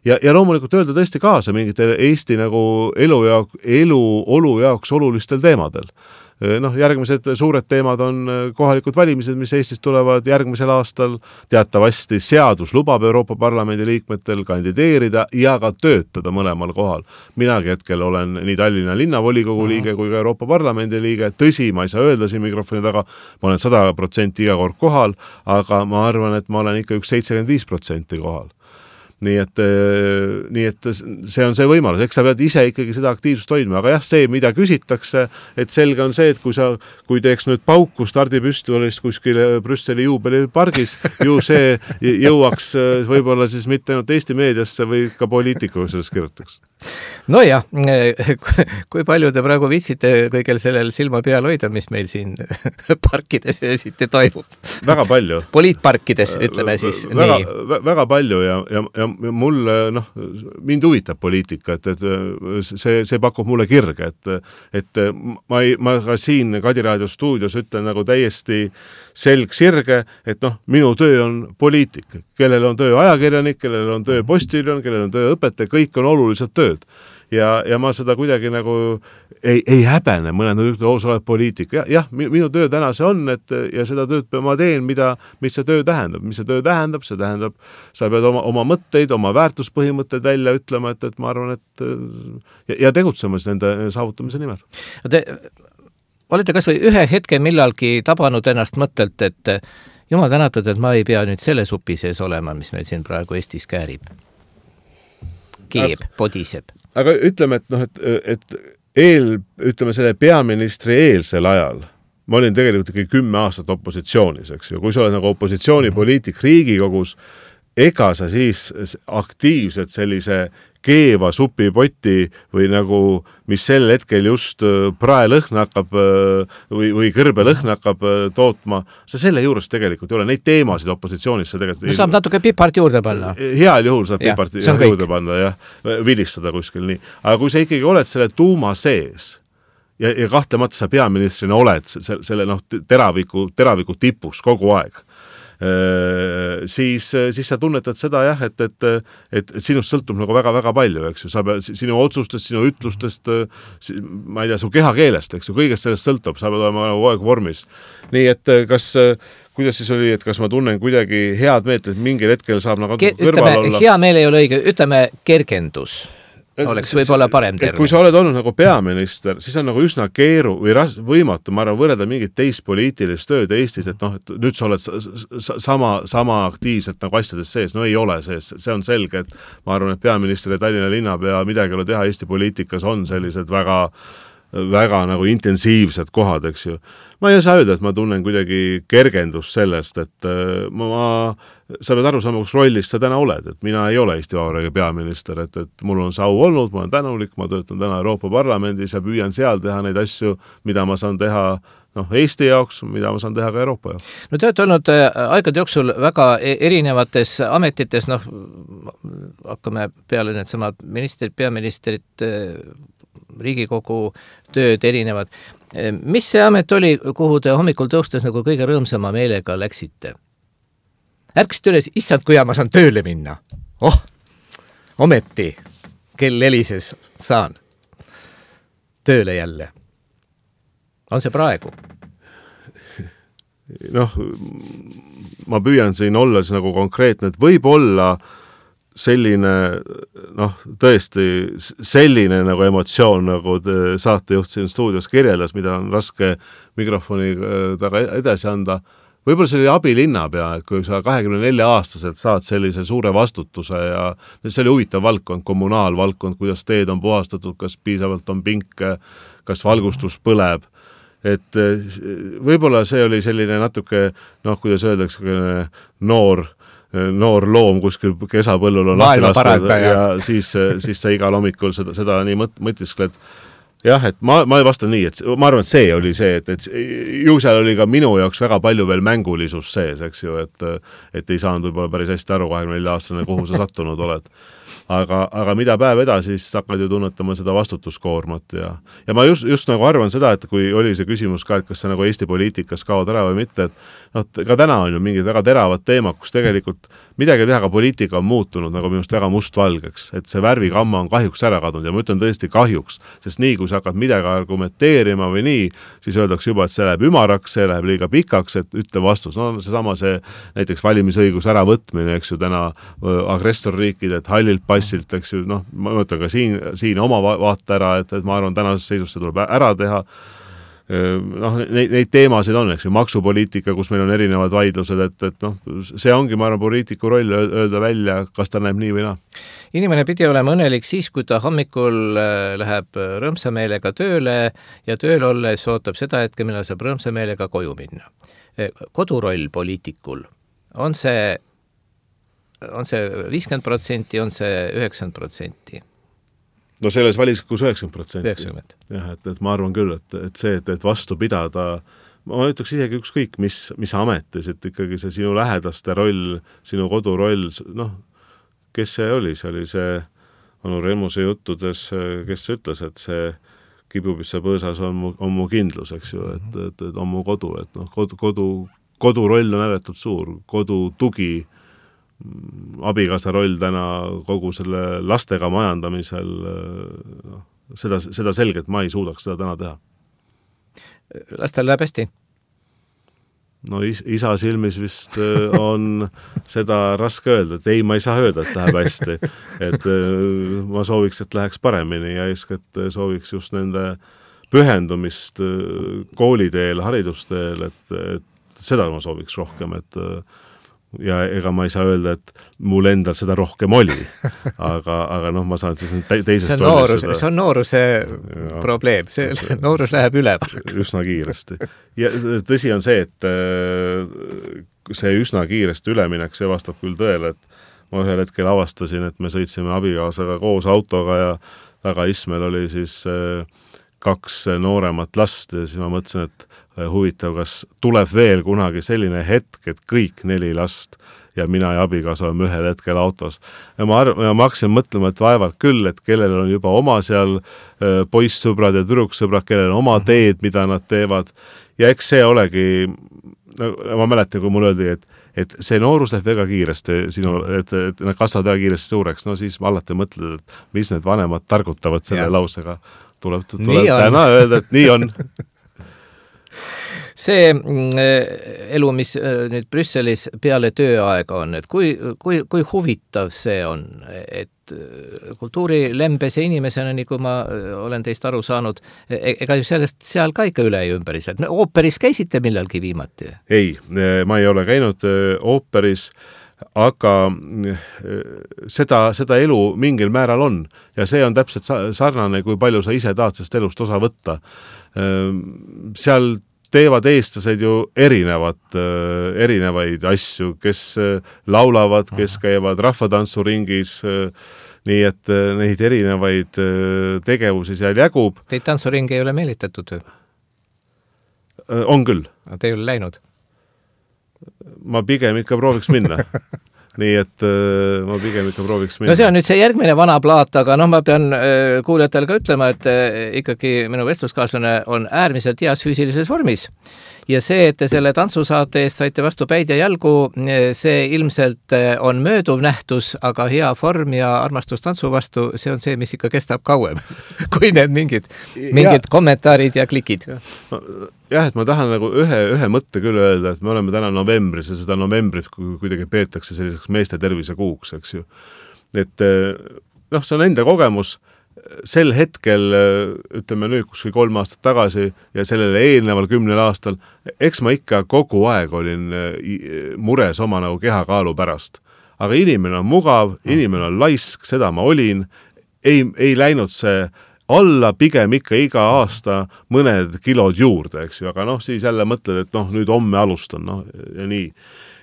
Ja loomulikult öelda tõesti kaasa mingite Eesti nagu eluolu jaoks olulistel teemadel. Järgmised suured teemad on kohalikud valimised, mis Eestis tulevad järgmisel aastal. Teatavasti seadus lubab Euroopa Parlamendi liikmetel kandideerida ja ka töötada mõlemal kohal. Minagi hetkel olen nii Tallinna linnavolikogu liige kui ka Euroopa Parlamendi liige. Tõsi, ma ei saa öelda siin mikrofoni taga, ma olen 100% iga kord kohal, aga ma arvan, et ma olen ikka üks 75% kohal. Nii et see on see võimalus, eks sa pead ise ikkagi seda aktiivsust hoidma, aga jah, see, mida küsitakse, et selge on see, et kui teeks nüüd pauku stardipüstolist kuskil Brüsseli juubelipargis, ju see jõuaks võib-olla siis mitte ainult Eesti meediasse või ka poliitikuga sellest kirjutaks. No jah, kui palju te praegu viitsite kõigel sellel silma peal hoida, mis meil siin parkides esiti toimub? Väga palju. Poliitparkides, ütleme siis väga, nii. Väga palju ja mul, mind huvitab poliitika, et see pakub mulle kirge, et ma ka siin Kadiraadio stuudios ütlen nagu täiesti sirge, et minu töö on poliitik, kellel on töö ajakirjanik, kellel on töö postiljon, kellel on töö õpetaja, kõik on olulised tööd. Ja ma seda kuidagi nagu ei häbene, mõned sa oled poliitik. Jah, minu töö täna see on, ja seda tööd ma teen, mis see töö tähendab. Mis see töö tähendab? See tähendab, sa pead oma mõtteid, oma väärtuspõhimõtteid välja ütlema, et ma arvan, et ja tegutsema nende saavutamise nimel. Te olete kas või ühe hetke millalgi tabanud ennast mõttelt, et jumal tänatud, et ma ei pea nüüd selle supi sees olema, mis meil siin praegu Eestis käärib. Keeb, podiseb. Aga ütleme, ütleme selle peaministri eelsel ajal, ma olin tegelikult ikkagi 10 aastat opositsioonis, eks ju. Kui sa oled nagu opositsioonipoliitik Riigikogus, ega sa siis aktiivselt sellise keeva supipoti või nagu, mis sel hetkel just praelõhn hakkab või kõrbelõhn hakkab tootma, sa selle juures tegelikult ei ole. Neid teemasid opositsioonis sa tegelikult saab natuke pipart juurde panna. Heal juhul saab pipart juurde panna ja vilistada kuskil nii. Aga kui sa ikkagi oled selle tuuma sees ja kahtlemata sa peaministrina oled selle teraviku tipus kogu aeg, siis sa tunnetad seda jah, et sinust sõltub nagu väga-väga palju, eks ju, sa pead sinu otsustest, sinu ütlustest, ma ei tea, su kehakeelest, eks ju, kõigest sellest sõltub, sa pead olema nagu aeg vormis. Nii et kuidas siis oli, et kas ma tunnen kuidagi head meelt, et mingil hetkel saab nagu kõrval olla? Hea meel ei ole õige, ütleme kergendus. Oleks võib-olla parem terve. Kui sa oled olnud nagu peaminister, siis on nagu üsna võimatu, ma arvan, võrrelda mingit teist poliitilist tööd Eestis, et nüüd sa oled sama aktiivselt nagu asjades sees. No ei ole sees, see on selge, et ma arvan, et peaminister ja Tallinna linnapea midagi ei ole teha Eesti poliitikas on sellised väga väga nagu intensiivsed kohad, eks ju. Ma ei saa öelda, et ma tunnen kuidagi kergendust sellest, et sa pead aru saama, kus rollis sa täna oled, et mina ei ole Eesti Vabariigi peaminister, et mul on see au olnud, ma olen tänulik, ma töötan täna Euroopa Parlamendis ja püüan seal teha neid asju, mida ma saan teha Eesti jaoks, mida ma saan teha ka Euroopa jaoks. No te olete olnud aegade jooksul väga erinevates ametites, hakkame peale need samad ministrid, peaministrid, Riigikogu tööd erinevad. Mis see amet oli, kuhu te hommikul tõustes nagu kõige rõõmsama meelega läksite? Ärkasite üles, issand, kui ma saan tööle minna. Ometi, kell helises saan tööle jälle. On see praegu? Ma püüan siin olla nagu konkreetne, et võib olla selline, tõesti selline nagu emotsioon, nagu saatejuht siin stuudios kirjeldas, mida on raske mikrofoni taga edasi anda. Võib-olla see oli abilinnapea, et kui sa 24-aastaselt saad sellise suure vastutuse ja see oli huvitav valdkond, kommunaalvaldkond, kuidas teed on puhastatud, kas piisavalt on pinke, kas valgustus põleb. Et võib-olla see oli selline natuke, kuidas öeldakse, noor loom kuskil kesapõllul on lahti lastud ja siis sa igal hommikul seda nii mõtiskled. Jah, et ma vastan nii, et ma arvan, et see oli see, et ju seal oli ka minu jaoks väga palju veel mängulisus sees, eks ju, et ei saanud võib-olla päris hästi aru 24-aastane, kuhu sa sattunud oled. Aga mida päev edasi, siis hakkad ju tunnetama seda vastutuskoormat ja ma just nagu arvan seda, et kui oli see küsimus ka, et kas see nagu Eesti poliitikas kaod ära või mitte, et ka täna on ju mingid väga teravad teemad, kus tegelikult midagi teha, ka poliitika on muutunud nagu minust väga mustvalgeks, et see värvikamma on kahjuks ära kadunud ja ma ütlen tõesti kahjuks, sest nii kui sa hakkad midagi argumenteerima või nii, siis öeldakse juba, et see läheb ümaraks, see läheb liiga pikaks, et ütle vastus. See näiteks valimisõigus äravõtmine, eks ju, täna agressorriikide, et hallilt passilt, eks ju, ma mõtlen ka siin oma vaate ära, et ma arvan, tänases seisus see tuleb ära teha. Neid teemasid on, eks ju, maksupoliitika, kus meil on erinevad vaidlused, et see ongi, ma arvan, poliitiku roll öelda välja, kas ta näeb nii või naa. Inimene pidi olema õnnelik siis, kui ta hommikul läheb rõõmsa meelega tööle ja tööl olles ootab seda hetke, millal saab rõõmsa meelega koju minna. Koduroll poliitikul, on see 50%, on see 90%? No selles valikus 90%. 90%. Jah, et ma arvan küll, et see, et vastu pidada, ma ütleks isegi ükskõik, mis ametis, et ikkagi see sinu lähedaste roll, sinu koduroll, kes see oli? See oli see Anu Remuse juttudes, kes ütles, et see kibupitsa põõsas on mu kindlus, eks ju, et on mu kodu, et koduroll on ääretult suur, kodu tugi, abikaasa roll täna kogu selle lastega majandamisel, seda selgelt ma ei suudaks seda täna teha. Lastel läheb hästi? Isa silmis vist on seda raske öelda, et ei, ma ei saa öelda, et läheb hästi. Et ma sooviks, et läheks paremini ja eeskätt sooviks just nende pühendumist kooliteel, haridusteel, et seda ma sooviks rohkem, ja ega ma ei saa öelda, et mul endal seda rohkem oli, aga ma saan siis teisest see on nooruse probleem, see noorus läheb üle. Üsna kiiresti. Ja tõsi on see, et see üsna kiiresti üleminek, see vastab küll tõele, et ma ühel hetkel avastasin, et me sõitsime abikaasaga koos autoga ja tagaismel oli siis 2 nooremat last ja siis ma mõtlesin, et huvitav, kas tuleb veel kunagi selline hetk, et kõik 4 last ja mina ja abikaasa oleme ühel hetkel autos. Ja ma hakkasin mõtlema, et vaevalt küll, et kellel on juba oma seal poissõbrad ja tüdruksõbrad, kellel on oma teed, mida nad teevad. Ja eks see olegi, ma mäletan, kui mul öeldi, et see noorus läheb väga kiiresti, et nad kasvavad väga kiiresti suureks, siis ma alati mõtled, et mis need vanemad targutavad selle lausega. Tuleb täna öelda, et nii on. See elu, mis nüüd Brüsselis peale tööaega on, et kui huvitav see on, et kultuurilembese inimesena, nii kui ma olen teist aru saanud, ega ju sellest seal ka ikka üle ja ümberis, et ooperis käisite millalgi viimati? Ei, ma ei ole käinud ooperis, aga seda elu mingil määral on ja see on täpselt sarnane, kui palju sa ise tahad sellest elust osa võtta. Seal teevad eestlased ju erinevaid asju, kes laulavad, kes käivad rahvatantsuringis, nii et neid erinevaid tegevusi seal jagub. Teid tantsuringi ei ole meelitatud? On küll. Te ei ole läinud? Ma pigem ikka prooviks minna. Nii et ma pigem ikka prooviks minna. No see on nüüd see järgmine vana plaat, aga ma pean kuulajatele ka ütlema, et ikkagi minu vestluskaaslane on äärmiselt heas füüsilises vormis. Ja see, et te selle tantsusaate eest saite vastu päid ja jalgu, see ilmselt on mööduv nähtus, aga hea form ja armastus tantsu vastu, see on see, mis ikka kestab kauem, kui need mingid kommentaarid ja klikid. Jah, et ma tahan nagu ühe mõtte küll öelda, et me oleme täna novembris ja seda novembrit kuidagi peetakse selliseks meeste tervise kuuks, eks ju. Et see on enda kogemus. Sel hetkel, ütleme nüüd kuskil 3 aastat tagasi ja sellele eelneval 10 aastal, eks ma ikka kogu aeg olin mures oma nagu kehakaalu pärast. Aga inimene on mugav, inimene on laisk, seda ma olin, ei läinud see alla, pigem ikka iga aasta mõned kilod juurde, eks ju, aga siis jälle mõtled, et nüüd homme alustan, ja nii.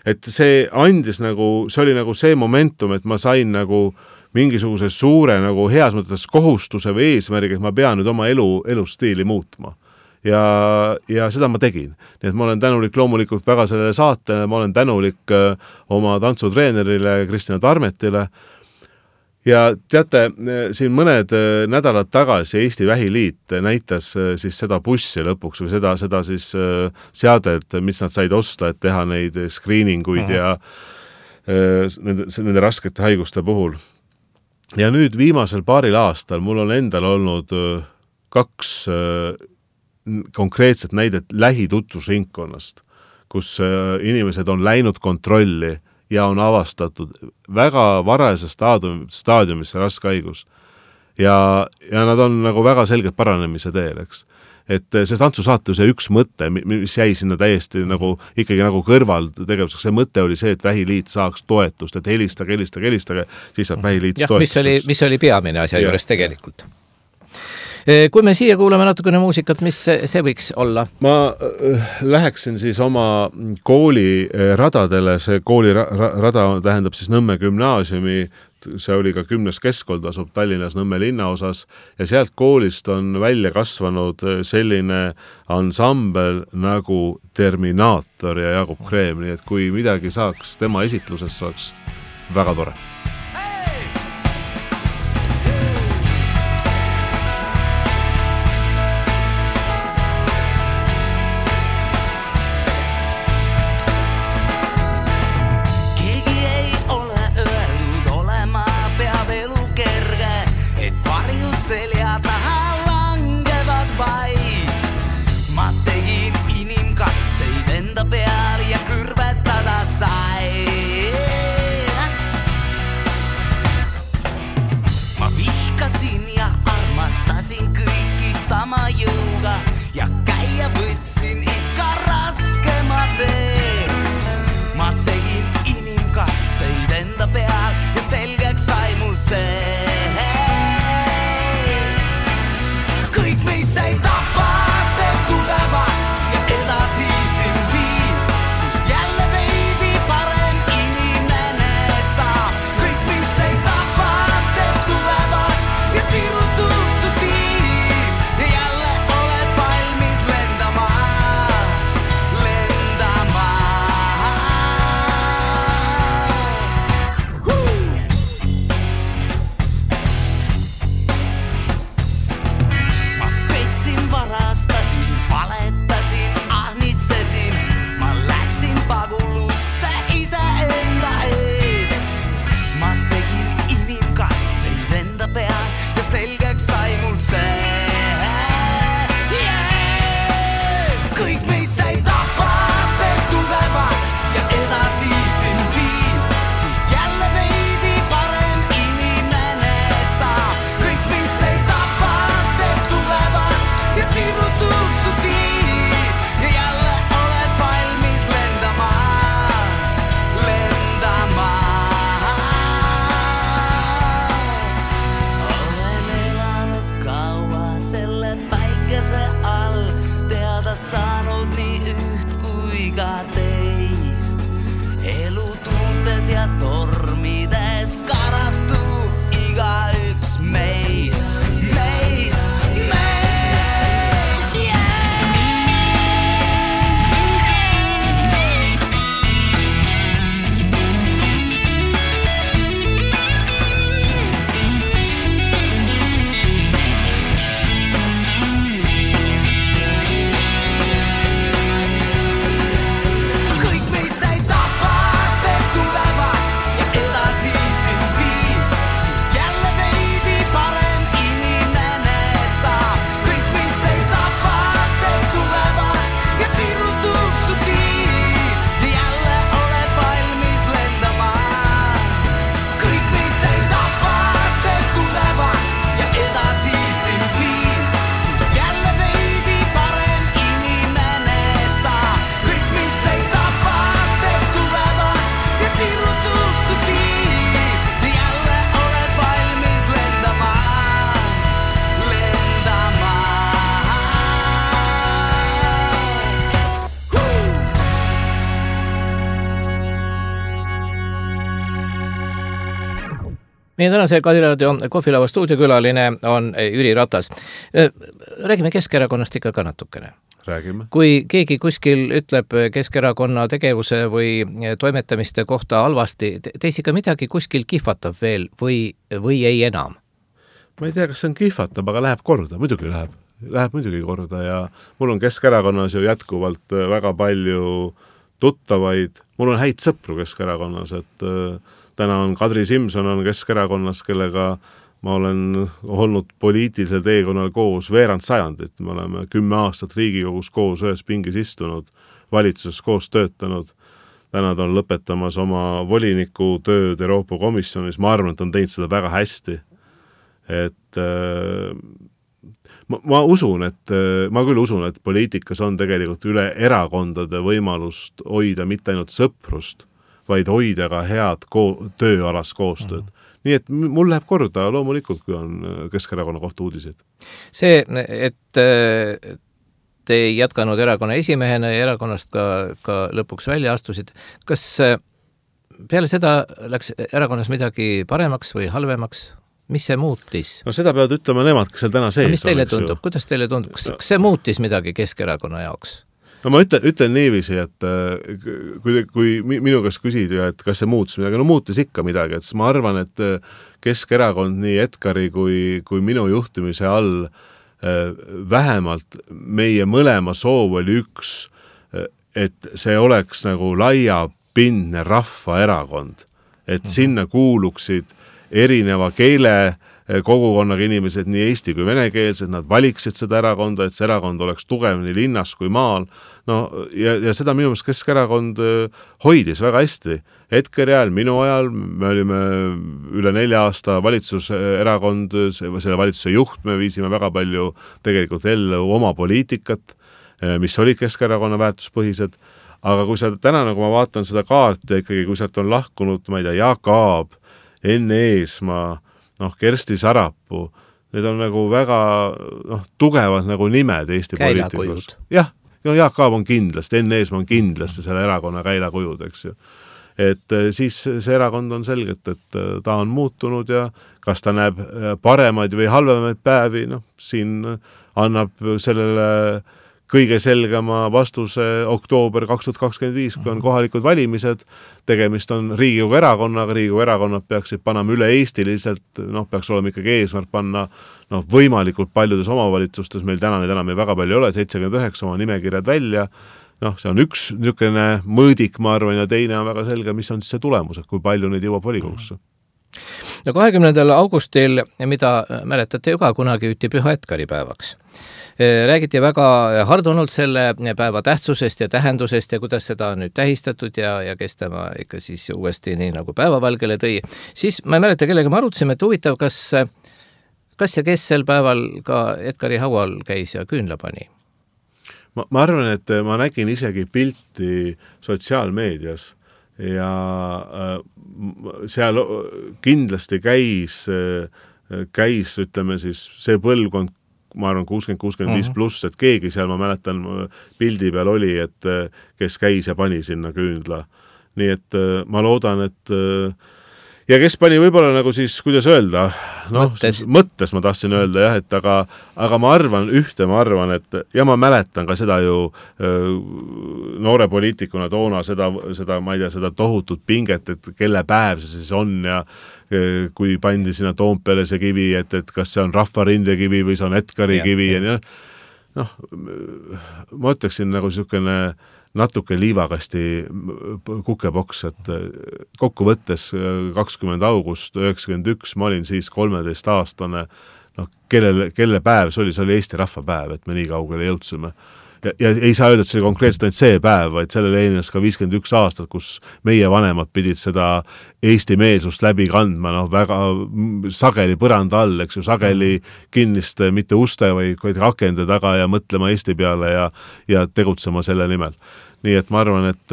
Et see andis nagu, see oli nagu see momentum, et ma sain nagu mingisuguse suure nagu heas mõttes kohustuse või eesmärgi, et ma pean nüüd oma elustiili muutma. Ja seda ma tegin. Nii et ma olen tänulik loomulikult väga sellele saatele, ma olen tänulik oma tantsutreenerile Kristina Tarmetile. Ja teate, siin mõned nädalad tagasi Eesti Vähiliit näitas siis seda bussi lõpuks või seda siis seadet, mis nad said osta, et teha neid screeninguid ja nende raskete haiguste puhul. Ja nüüd viimasel paaril aastal mul on endal olnud 2 konkreetset näidet lähitutvusringkonnast, kus inimesed on läinud kontrolli ja on avastatud väga varase staadiumis raske haigus. Ja nad on nagu väga selgelt paranemise teel, eks. Et see tantsusaate see üks mõte, mis jäi sinna täiesti nagu ikkagi nagu kõrval tegevuseks, see mõte oli see, et Vähiliit saaks toetust, et helistage, siis saab Vähiliit toetust. Mis oli peamine asja juures tegelikult. Kui me siia kuulame natukene muusikat, mis see võiks olla? Ma läheksin siis oma kooli radadele, see kooli rada tähendab siis Nõmme gümnaasiumi, see oli ka 10. keskkold, asub Tallinnas Nõmme linnaosas ja sealt koolist on välja kasvanud selline ansambel nagu Terminaator ja Jaagup Kreem, nii et kui midagi saaks tema esitlusest, oleks väga tore. kohdanud nii üht kui ka teist. Elu tuultes ja tormides karastub igaüks meist. Meie tänase Kadiraadio kohvilava stuudiokülaline on Jüri Ratas. Räägime Keskerakonnast ikka ka natukene. Räägime. Kui keegi kuskil ütleb Keskerakonna tegevuse või toimetamiste kohta halvasti, teis ikka midagi kuskil kihvatab veel või ei enam? Ma ei tea, kas see on kihvatab, aga läheb korda, muidugi läheb muidugi korda ja mul on Keskerakonnas ju jätkuvalt väga palju tuttavaid, mul on häid sõpru Keskerakonnas, et täna on Kadri Simson on Keskerakonnas, kellega ma olen olnud poliitilisel teekonnal koos veerand sajandit. Me oleme 10 aastat Riigikogus koos ühes pingis istunud, valitsuses koos töötanud. Täna ta on lõpetamas oma voliniku tööd Euroopa Komisjonis. Ma arvan, et on teinud seda väga hästi. Et ma küll usun, et poliitikas on tegelikult üle erakondade võimalust hoida mitte ainult sõprust, vaid hoida ka head tööalast koostööd. Nii et mul läheb korda loomulikult, kui on Keskerakonna kohta uudiseid. See, et te ei jätkanud erakonna esimehena ja erakonnast ka lõpuks välja astusid, kas peale seda läks erakonnas midagi paremaks või halvemaks? Mis see muutis? No seda peavad ütlema nemad, kes seal täna sees mis teile tundub? Kuidas teile tundub? Kas see muutis midagi Keskerakonna jaoks? No ma ütlen niiviisi, et kui minu käest küsidi, et kas see muutis midagi, no muutis ikka midagi, et ma arvan, et Keskerakond nii Edgari kui minu juhtimise all vähemalt meie mõlema soov oli üks, et see oleks nagu laiapindne rahvaerakond, et sinna kuuluksid erineva keele kogukonnaga inimesed, nii eesti kui venekeelsed, nad valiksid seda erakonda, et see erakond oleks tugev nii linnas kui maal. No, ja seda minu meelest Keskerakond hoidis väga hästi. Edgari ajal, minu ajal, me olime üle 4 aasta valitsuserakond, selle valitsuse juht, me viisime väga palju tegelikult ellu oma poliitikat, mis oli Keskerakonna väärtuspõhised. Aga kui sa täna, nagu ma vaatan seda kaarti, ikkagi kui sealt on lahkunud, ma ei tea, Jaak Aab, Enn Eesmaa, Kersti Sarapuu, need on nagu väga tugevad nagu nimed Eesti poliitikus. Jah, Jaak Aab on kindlasti, Enn Eesmaa on kindlasti selle erakonna käilakujud, eks ju. Et siis see erakond on selgelt, et ta on muutunud ja kas ta näeb paremaid või halvemaid päevi, siin annab sellele kõige selgema vastuse oktoober 2025, kui on kohalikud valimised, tegemist on Riigikogu erakonnaga, Riigikogu erakonnad peaksid panema üle eestiliselt, peaks olema ikkagi eesmärk panna võimalikult paljudes omavalitsustes, meil täna neid enam ei väga palju ole, 79 oma nimekirjad välja, see on üks niisugune mõõdik, ma arvan, ja teine on väga selge, mis on siis see tulemus, et kui palju neid jõuab volikogusse. No 20. augustil, mida mäletate ju ka kunagi hüüti Püha Edgari päevaks. Räägiti väga hardunult selle päeva tähtsusest ja tähendusest ja kuidas seda on nüüd tähistatud ja kes tema ikka siis uuesti nii nagu päevavalgele tõi. Siis ma ei mäleta, kellega me arutasime, et huvitav, kas ja kes sel päeval ka Edgari haual käis ja küünla pani? Ma arvan, et ma nägin isegi pilti sotsiaalmeedias ja seal kindlasti käis, ütleme siis, see põlvkond, ma arvan 60-65 pluss, et keegi seal, ma mäletan, pildi peal oli, et kes käis ja pani sinna küünla. Nii et ma loodan, et ja kes pani võib-olla nagu siis, kuidas öelda, mõttes ma tahtsin öelda jah, et aga ma arvan, et ja ma mäletan ka seda ju noore poliitikuna toona seda, ma ei tea, seda tohutut pinget, et kelle päev see siis on ja kui pandi sinna Toompeale see kivi, et kas see on Rahvarinde kivi või see on Edgari kivi ja ma ütleksin nagu niisugune natuke liivakasti kukepoks, et kokkuvõttes 20. august 91, ma olin siis 13-aastane, kelle päev see oli Eesti rahvapäev, et me nii kaugele jõudsime. Ja ei saa öelda, et see oli konkreetselt ainult see päev, vaid sellele eelnes ka 51 aastat, kus meie vanemad pidid seda Eesti meelsust läbi kandma, väga sageli põranda all, eks ju, sageli kinniste, mitte uste, vaid rakende taga ja mõtlema Eesti peale ja tegutsema selle nimel. Nii et ma arvan, et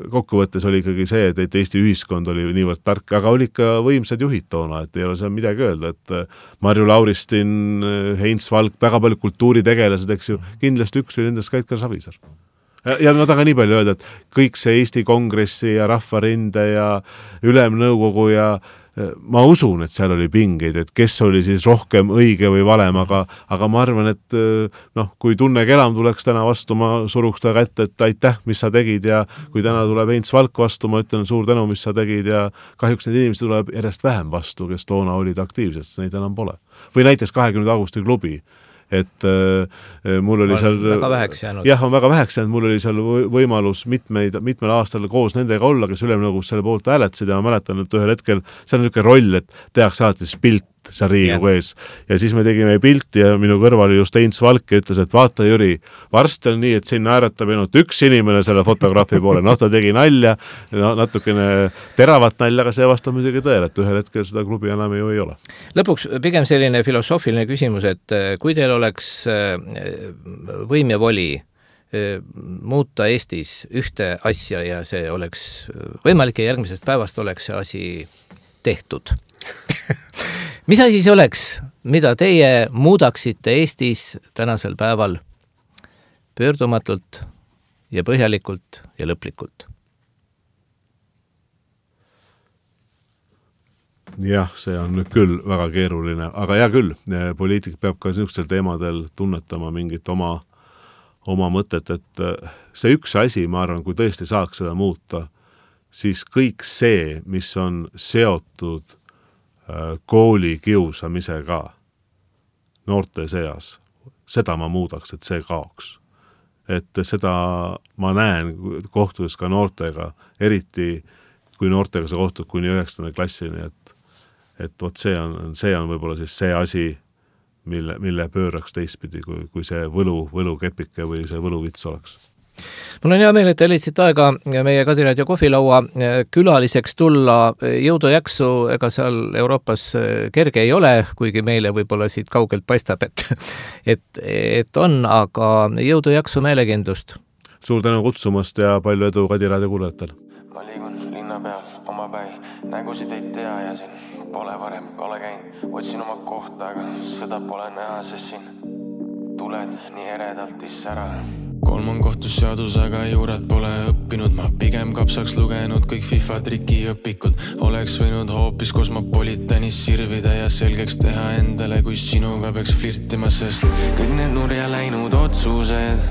kokkuvõttes oli ikkagi see, et Eesti ühiskond oli niivõrd tark, aga oli ka võimsad juhid toona, et ei ole seal midagi öelda, et Marju Lauristin, Heinz Valk, väga palju kultuuritegelased, eks ju, kindlasti üks oli nendest ka Edgar Savisaar. Ja ma tahan nii palju öelda, et kõik see Eesti Kongressi ja Rahvarinde ja Ülemnõukogu ja ma usun, et seal oli pingeid, et kes oli siis rohkem õige või valem, aga ma arvan, et kui Tunne Kelam tuleks täna vastu, ma suruks ta kätte, et aitäh, mis sa tegid ja kui täna tuleb Heinz Valk vastu, ma ütlen suur tänu, mis sa tegid ja kahjuks need inimesed tuleb järjest vähem vastu, kes toona olid aktiivsed, neid enam pole. Või näiteks 20. augusti klubi, et mul oli seal väga väheks jäänud. Jah, on väga väheks jäänud, mul oli seal võimalus mitmel aastal koos nendega olla, kes Ülemnõukogus selle poolt hääletasid ja ma mäletan, et ühel hetkel see on niisugune roll, et tehakse alati siis pilt seal Riigikogu ees ja siis me tegime pilti ja minu kõrval oli just Heinz Valk ja ütles, et vaata Jüri, varsti on nii, et sinna ääretab ainult üks inimene selle fotograafi poole, ta tegi nalja, natukene teravat nalja, aga see vastab muidugi tõele, et ühel hetkel seda klubi enam ju ei ole. Lõpuks pigem selline filosoofiline küsimus, et kui teil oleks võim ja voli muuta Eestis ühte asja ja see oleks võimalik ja järgmisest päevast oleks see asi tehtud. Mis asi see oleks, mida teie muudaksite Eestis tänasel päeval pöördumatult ja põhjalikult ja lõplikult? Jah, see on nüüd küll väga keeruline, aga hea küll, poliitik peab ka niisugustel teemadel tunnetama mingit oma mõtet, et see üks asi, ma arvan, kui tõesti saaks seda muuta, siis kõik see, mis on seotud kooli kiusamisega noorte seas, seda ma muudaks, et see kaoks. Et seda ma näen kohtudes ka noortega, eriti kui noortega sa kohtud kuni 9. klassini, et võt see on võib-olla siis see asi, mille pööraks teistpidi, kui see võlukepike või see võluvits oleks. Mul on hea meel, et te leidsite aega meie Kadiraadio kohvilaua külaliseks tulla. Jõudu jaksu, ega seal Euroopas kerge ei ole, kuigi meile võib-olla siit kaugelt paistab, et on, aga jõudu jaksu meelekindlust. Suur tänu kutsumast ja palju edu Kadiraadio kuulajatel. Ma liigun linna peal oma päi, nägusid ei tea ja siin pole varem pole käinud. Otsin oma kohta, aga seda pole näha, sest siin tuled nii eredalt issära. 3 kohtusseadus, aga juurat pole õppinud. Ma pigem kapsaks lugenud kõik FIFA trikiõpikud. Oleks võinud hoopis kosmopolitanis sirvida ja selgeks teha endale, kui sinuga peaks flirtima, sest kõik need nurja läinud otsused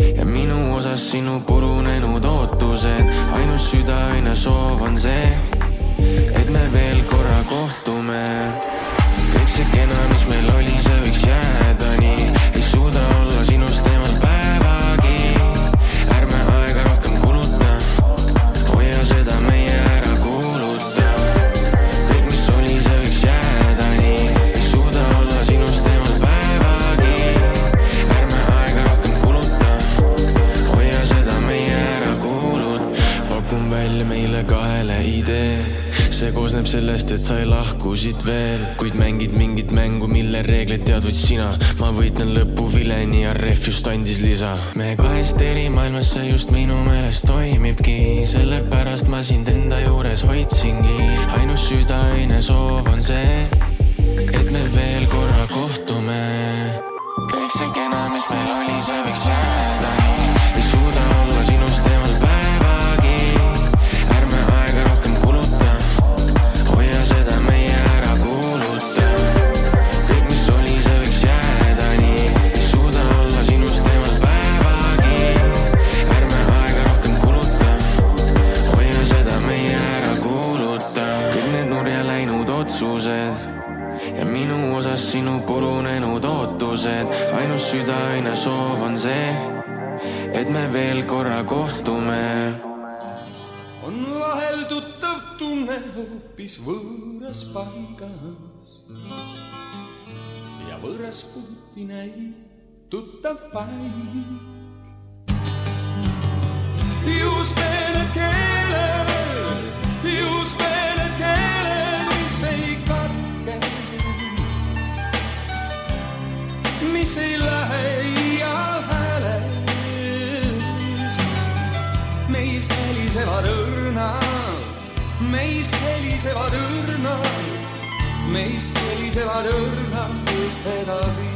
ja minu osas sinu purunenud ootused. Ainus südaöine soov on see, et me veel korra kohtume. Kõik see kena, mis meil oli, see võiks jääda nii. Ei suuda olla sinust teemal päevagi. Ärme aega rohkem kuluta, hoia seda meie ära kuuluta. Kõik, mis oli, see võiks jääda nii. Ei suuda olla sinust teemal päevagi. Ärme aega rohkem kuluta, hoia seda meie ära kuuluta. Pakun välja meile 2 idee. See koosneb sellest, et sa ei lahku siit veel, kuid mängid mingit mängu, mille reegleid tead võid sina. Ma võitlen lõpu vileni ja ref just andis lisa. Me 2 eri maailmas see just minu meelest toimibki, sellepärast ma sind enda juures hoidsingi. Ainus südaöine soov on see, et me veel korra kohtume. Kõik see kena, mis meil oli, see võiks jääda. Ei suuda olla sinust teemal päevagi. Ärme aega rohkem kuluta, hoia seda meie ära kuuluta. Kõik mis oli, see võiks jääda nii. Ei suuda olla sinust teemal päevagi. Ärme aega rohkem kuluta, hoia seda meie ära kuuluta. Kõik need nurja läinud otsused ja minu osas sinu purunenud ootused. Ainus südaöine soov on see, et me veel korra kohtume. On vahel tuttav tunne hoopis võõras paigas ja võõras puuti näib tuttav paik. Just need keeled, mis ei katke, mis ei lähe iial häälest. Meist helisevad õrnad, meist helisevad õrnad, meist helisevad õrnad edasi.